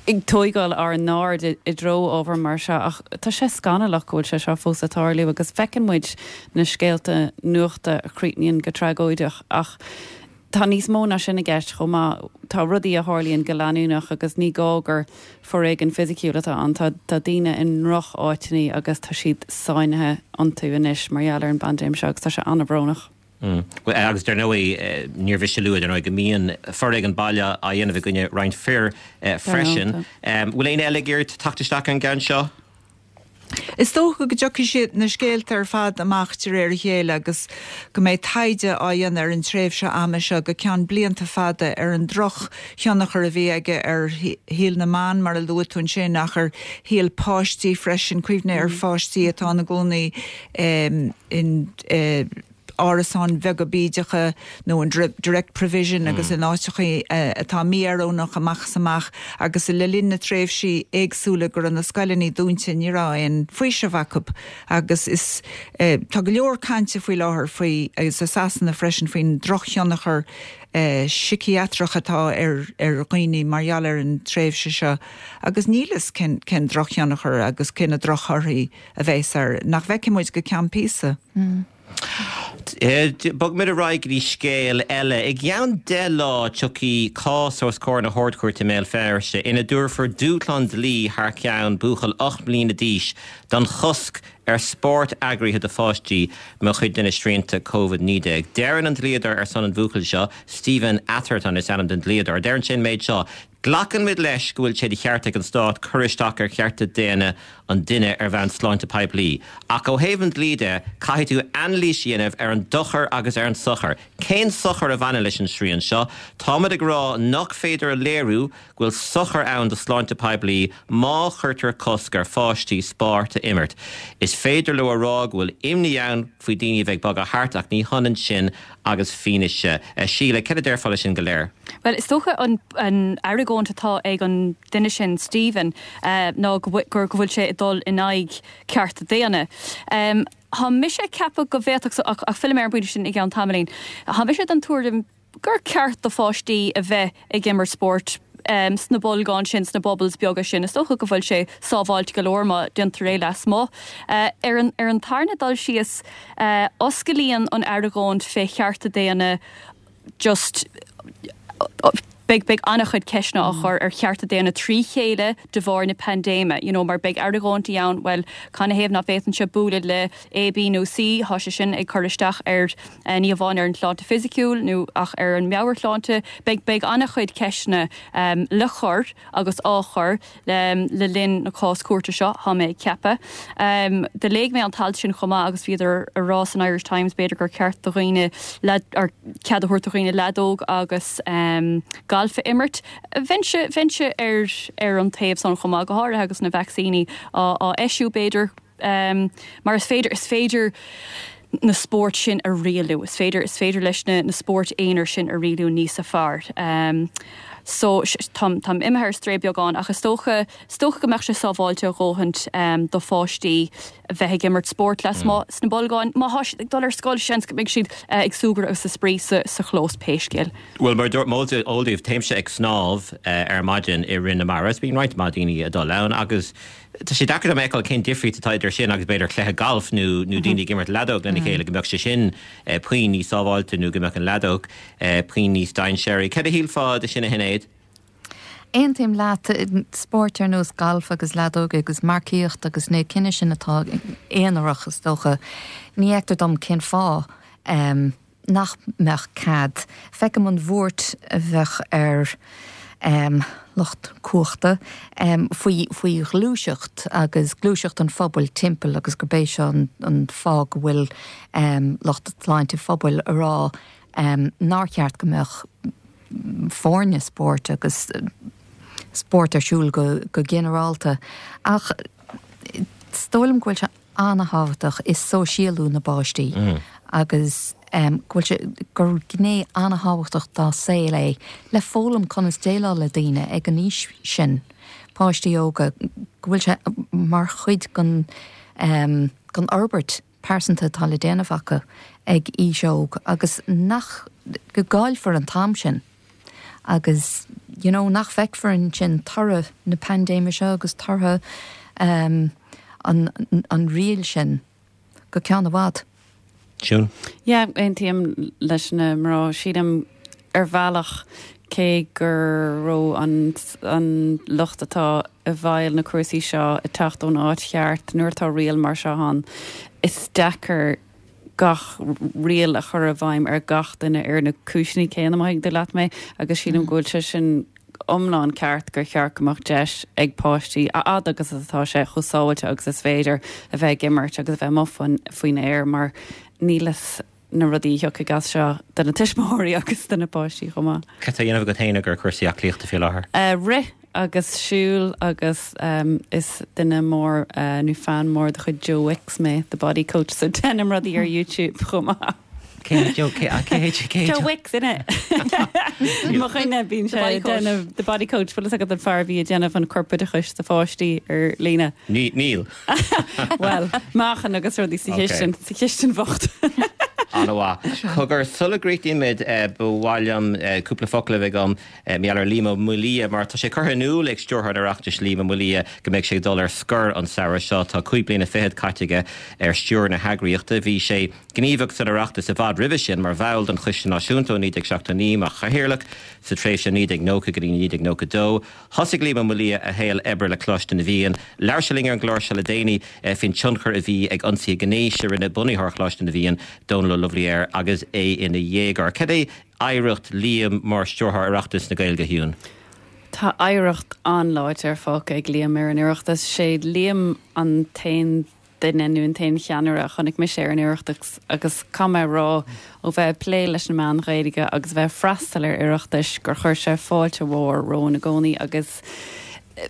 ag tógáil ár n-aird i dtreo ábhar mar seo ach tá sé scannalach go bhfuil sé seo fós ag tarlú agus feiceann muid na scéalta nuachta a chríochnaíonn go tragóideach ach tá níos mó ná sin i gceist chomh maith. Tá rudaí a tharlaíonn go leanúnach agus ní gá gur foréigean fisiciúil atá ann. Tá tá daoine i ndroch-áiteanna agus tá siad sáinnithe iontu anois mar gheall ar an bpaindéim seo agus tá sé an-bhrónach.
Agus dar ndóigh, níor mhiste a lua, dar ndóigh, go mbíonn foréigean baile á dhéanamh i gcoinne roinnt fir freisin. Bhfuil éinne eile ag iarraidh teacht isteach ar an gceann seo?
Is dócha go dtiocfaidh siad na scéalta ar fad amach de réir a chéile agus go mbeidh taighde á dhéanamh ar an tréimhse ama seo go ceann blianta fada ar an drochthionchar a bhí aige ar shaol na mban, mar a luaigh tú ansin, ach ar shaol páistí freisin. Cuimhnigh ar pháistí atá ina gcónaí in árasáin bheaga bídeacha nó in direct provision agus in áiteacha atá mí-oiriúnach amach is amach agus le linn na tréimhsí éagsúla go raibh na scoileanna dúnta ní raibh aon faoiseamh acu agus is tá go leor cainte faoi láthair faoi agus i Sasana freisin faoin drochthionchar síciatrach atá ar ar dhaoine mar gheall ar an tréimhse seo agus níl fhios cén cén drochthionchar agus cé na drochthorthaí a bheas air nach bhfeicfidh muid go ceann píosa.
Bogfaimid ar aghaidh go dtí scéal eile. I gceann deich lá tiocfaidh cás os comhair na hArd-Chúirte i mBéal Feirste ina dtabharfar dúshlán dlí thar ceann buachaill ocht mbliana d'aois don chosc ar spórt eagraithe do pháistí mar chuid de na srianta Covid naoi déag. Deireann an dlíodóir ar son an bhuachaill seo, Stephen Atherton is ainm don dlíodóir, deireann sé an méid seo, Glacann muid leis go bhfuil sé de cheart ag an Stát cur isteach ar chearta daonna an duine ar bhonn sláinte poiblí. Ach ó thaobh an dlí de, caithfidh tú anailís a dhéanamh ar an dochar agus ar an sochar. Cén sochar a bhaineann leis an srian seo? Táimid ag rá nach féidir a léiriú go bhfuil sochar ann do shláinte poiblí má chuirtear cosc ar pháistí spórt a imirt. Is féidir leo a rá go bhfuil imní ann faoi daoine a bheith ag bogadh thart ach ní hionann sin agus fianaise. Síle, cad a déarfá leis sin go léir?
Bhuel, is dócha an an argóint atá ag an duine sin, Stephen, ná go gur go bhfuil sé ag dul in aghaidh cearta daonna. Tá mise ag ceapadh go bhféadfadh, ach ach fillfidh mé ar an bpointe sin i gceann tamaillín, tá mise den tuairim gur ceart do pháistí a bheith ag imirt spóirt sna bolgáin sin, sna bubbles beaga sin. Is dócha go bhfuil sé sábháilte go leor má déantar é lasmuigh. Ar an ar an tarna dul síos, osclaíonn an argóint fé chearta daonna just beidh beidh an-chuid ceisteanna á chur ar chearta daonna trí chéile de bharr na paindéime, you know, mar beidh argóintí ann, bhuel, canathaobh nach bhféadfainnse bualadh le A, B nó C, tá sé sin ag cur isteach ar ní hamháin ar an tsláinte fisiciúil nó ach ar an meabhairshláinte. Beidh beidh an-chuid ceisteanna le cur agus á chur le le linn na cás cúirte seo, tá mé ag ceapadh. Do léigh mé an t-alt sin chomh maith agus bhíodar ag rá san Irish Times b'fhéidir gur ceart do dhaoine or cead a thabhairt do dhaoine leadóg agus galf a imirt. Bheinnse bheinnse ar ar an taobh san chomh maith, go háirithe agus na vacsaíní á á eisiú b'fhéidir mar is féidir is féidir na spóirt sin a rialú, is féidir is féidir leis na na spóirt aonair sin a rialú níos fearr. So táim táim imithe ar strae beagán ach is dócha is dócha go mbeadh sé sábháilte a dhóthaint do pháistí a bheith ag imirt spóirt lasmuigh sna bolgáin. Má thá siad ag dul ar scoil seans go mbeidh siad ag súgradh agus ag spraoi sa sa chlós pé scéal.
Bhuel mar is eol daoibh téimse ag snámh ar maidin i Rinn na Mara, is bíonn roinnt mhaith daoine ag dul ann agus tá sé deacair dom a fheiceáil cén difríocht atá idir sin agus b'fhéidir cluiche gailf nó nó daoine ag imirt leadóg lena chéile, go mbeadh sé sin puinn níos sábháilte nó go mbeadh an leadóg puinn níos dainséaraí. Cad a shílfeá de sin a Shinéad?
Aontaím leat, spóirt ar nós galf agus leadóg agus marcaíocht agus na cinn sin atá aonarach is dócha. Ní fheictear dom cén fáth nach mbeadh cead. Feicim an bhuairt a bheadh ar um, lucht cumhachta um, faoi faoi ghluaiseacht agus gluaiseacht an phobail timpeall agus gurb é seo an, an fáth go bhfuil um, lucht sláinte phobail ag rá um, nár cheart go mbeadh foirne spóirt agus spórt ar siúl go, go ginearálta. Ach is dóigh liom go bhfuil sé an-tábhachtach i sóisialú na bpáistí mm. agus um, go bhfuil sé gur gné an-tábhachtach dá saol é le foghlaim conas déileáil le daoine ag an aois sin páistí óga go bhfuil sé mar chuid den um, den fhorbairt pearsanta atá le déanamh acu ag aois óg agus nach go gcaillfear an t-am sin. agus you know, nach bhfeicfear ansin toradh na paindéime seo agus toradh um, an, an riail sin go ceann i bhfad.
Siún?
Yeah, aontaím leis na mná sílim ar bhealach cé gur raibh an, an lucht atá i bhfeighil na cúrsaí seo ag teacht ón áit cheart nuair atá riail mar seo ann is deacair gach riail a chur i bhfeidhm ar gach duine ar na cúiseanna céanna má thuigtear leat mé agus sílim go bhfuil sé sin iomlán ceart gur cheart go mbeadh deis ag páistí a fhad agus atá sé chomh sábháilte agus is féidir a bheith ag imirt agus a bheith amuigh faoin aer mar níl fhios na rudaí a thiocfaidh as seo do na tuismitheoirí agus do na páistí chomh maith.
Cad tá á dhéanamh agat féin ar chúrsaí aclaíochta faoi láthair?
Uh, rith agus siúl agus um, is duine mór uh, nó fan mór de chuid Joe Wicks mé, the body coach, so déanaim rudaí ar YouTube chomh maith.
Cé Joe cé cé cé
Joe Wicks innit. Mo chuine bíonn sé déanamh the body coach bhfuil agat an fear a bhí ag déanamh an corpoideachais do pháistí ar líne.
Níl.
Well, meáchan agus rudaí sa chistin sa chistin bhocht.
An-mhaith. Cogar sula gcríochnaímid ba mhaith liom cúpla focal a bheith agam maidir le Liam Ó Maolaodha mar tá sé curtha in iúl ag stiúrthóir an Oireachtais Liam Ó Maolaodha go mbeidh sé ag dul ar scor an samhradh seo tá cúig bliana fichead caite aige ar stiúir na heagraíochta. Bhí sé gníomhach san Oireachtas i bhfad roimhe sin mar bhall den Choiste Náisiúnta ó naoi déag seachtó naoi mar chathaoirleach sa tréimhse naoi déag nócha go dtí naoi déag nócha dó. Thosaigh Liam Ó Maolaodha a shaol oibre le Coláiste na bhFiann. Labhair sé linn ar an gclár seo le déanaí faoin tionchar a bhí ag ionsaithe gnéis a rinne bunaitheoir Choláiste na bhFiann, Dónal Ó Lubhlaí air agus é ina dhéagóir. Cad é oidhreacht Liam mar stiúrthóir Oireachtas na Gaeilge Shiún?
Tá oidhreacht an-láidir fágtha ag Liam ar an Oireachtas. Sé Liam an t-aon duine nó an t-aon cheannaire a chonaic mise ar an Oireachtas agus caithfidh mé a rá ó bheith ag plé leis na meáin Ghaeilge agus bheith ag freastal ar Oireachtais gur chuir sé fáilte mhór romhainn i gcónaí agus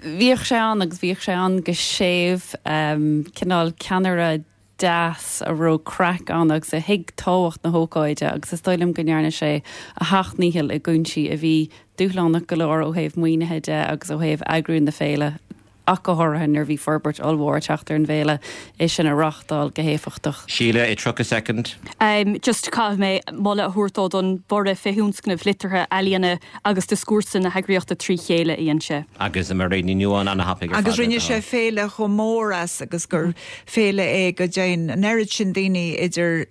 bhíodh sé ann agus bhíodh sé ann go séimh um, cineál ceannaire deas a raibh craic ann agus a thuig tábhacht na hócáide agus is dóigh liom go ndearna sé a sheacht ndícheall i gcúinsí a bhí dúshlánach go leor ó thaobh maoinithe de agus ó thaobh eagrú na féile ach go háirithe nuair bhí forbairt ollmhór ag teacht ar an bhféile é sin a reáchtáil go héifeachtach.
Síle i tríocha soicind.
Um, just caithfidh mé moladh a thabhairt dó don borradh fé thionscnaimh liteartha ealaíona agus dioscúrsa na heagraíochta trí chéile a dhein sé.
Agus Mairéad Ní Nuadháin an-thapaidh ar
Agus
fad
rinne sé féile chomh mór as agus gur féile é go dtéann an oiread sin daoine idir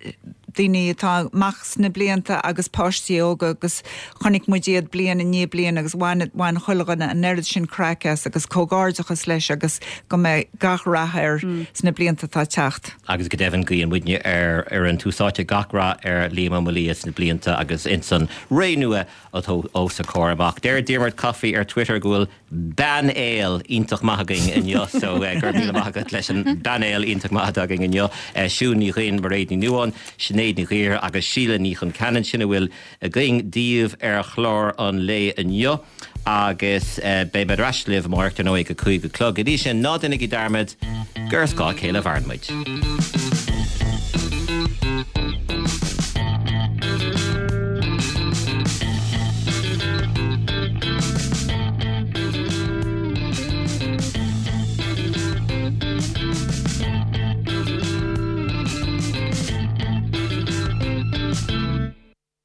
daoine atá amach sna blianta agus páistí óga agus chonaic muid iad bliain i ndiaidh bliana agus bhain bhain chuile dhuine an oiread sin craic as agus comhghairdeachas leis agus go mbeidh gach rath air sna blianta atá ag teacht.
Agus go deimhin guíonn muidne ar ar an tús áite gach rath ar Liam Ó Maolaodha sna blianta agus insan ré nua atá os a chomhair amach. Deir Diarmuid Coffey ar Twitter go bhfuil painéal iontach maith againn inniu so uh, go raibh míle maith agat leis an bpainéal iontach maith againn inniu. Uh, Siún Ní Dhuinn Mairéad Ní Nuadháin, Sinéad Ní Ghaoir agus Síle Ní Chonceanainn sin a bhfuil againn daoibh ar chlár an lae inniu agus uh, beidh muid ar ais libh amárach ar ndóigh ag a cúig a chlog. Go dtí sin ná déanaigí dearmad gur ar scáth a chéile a mhaireann muid.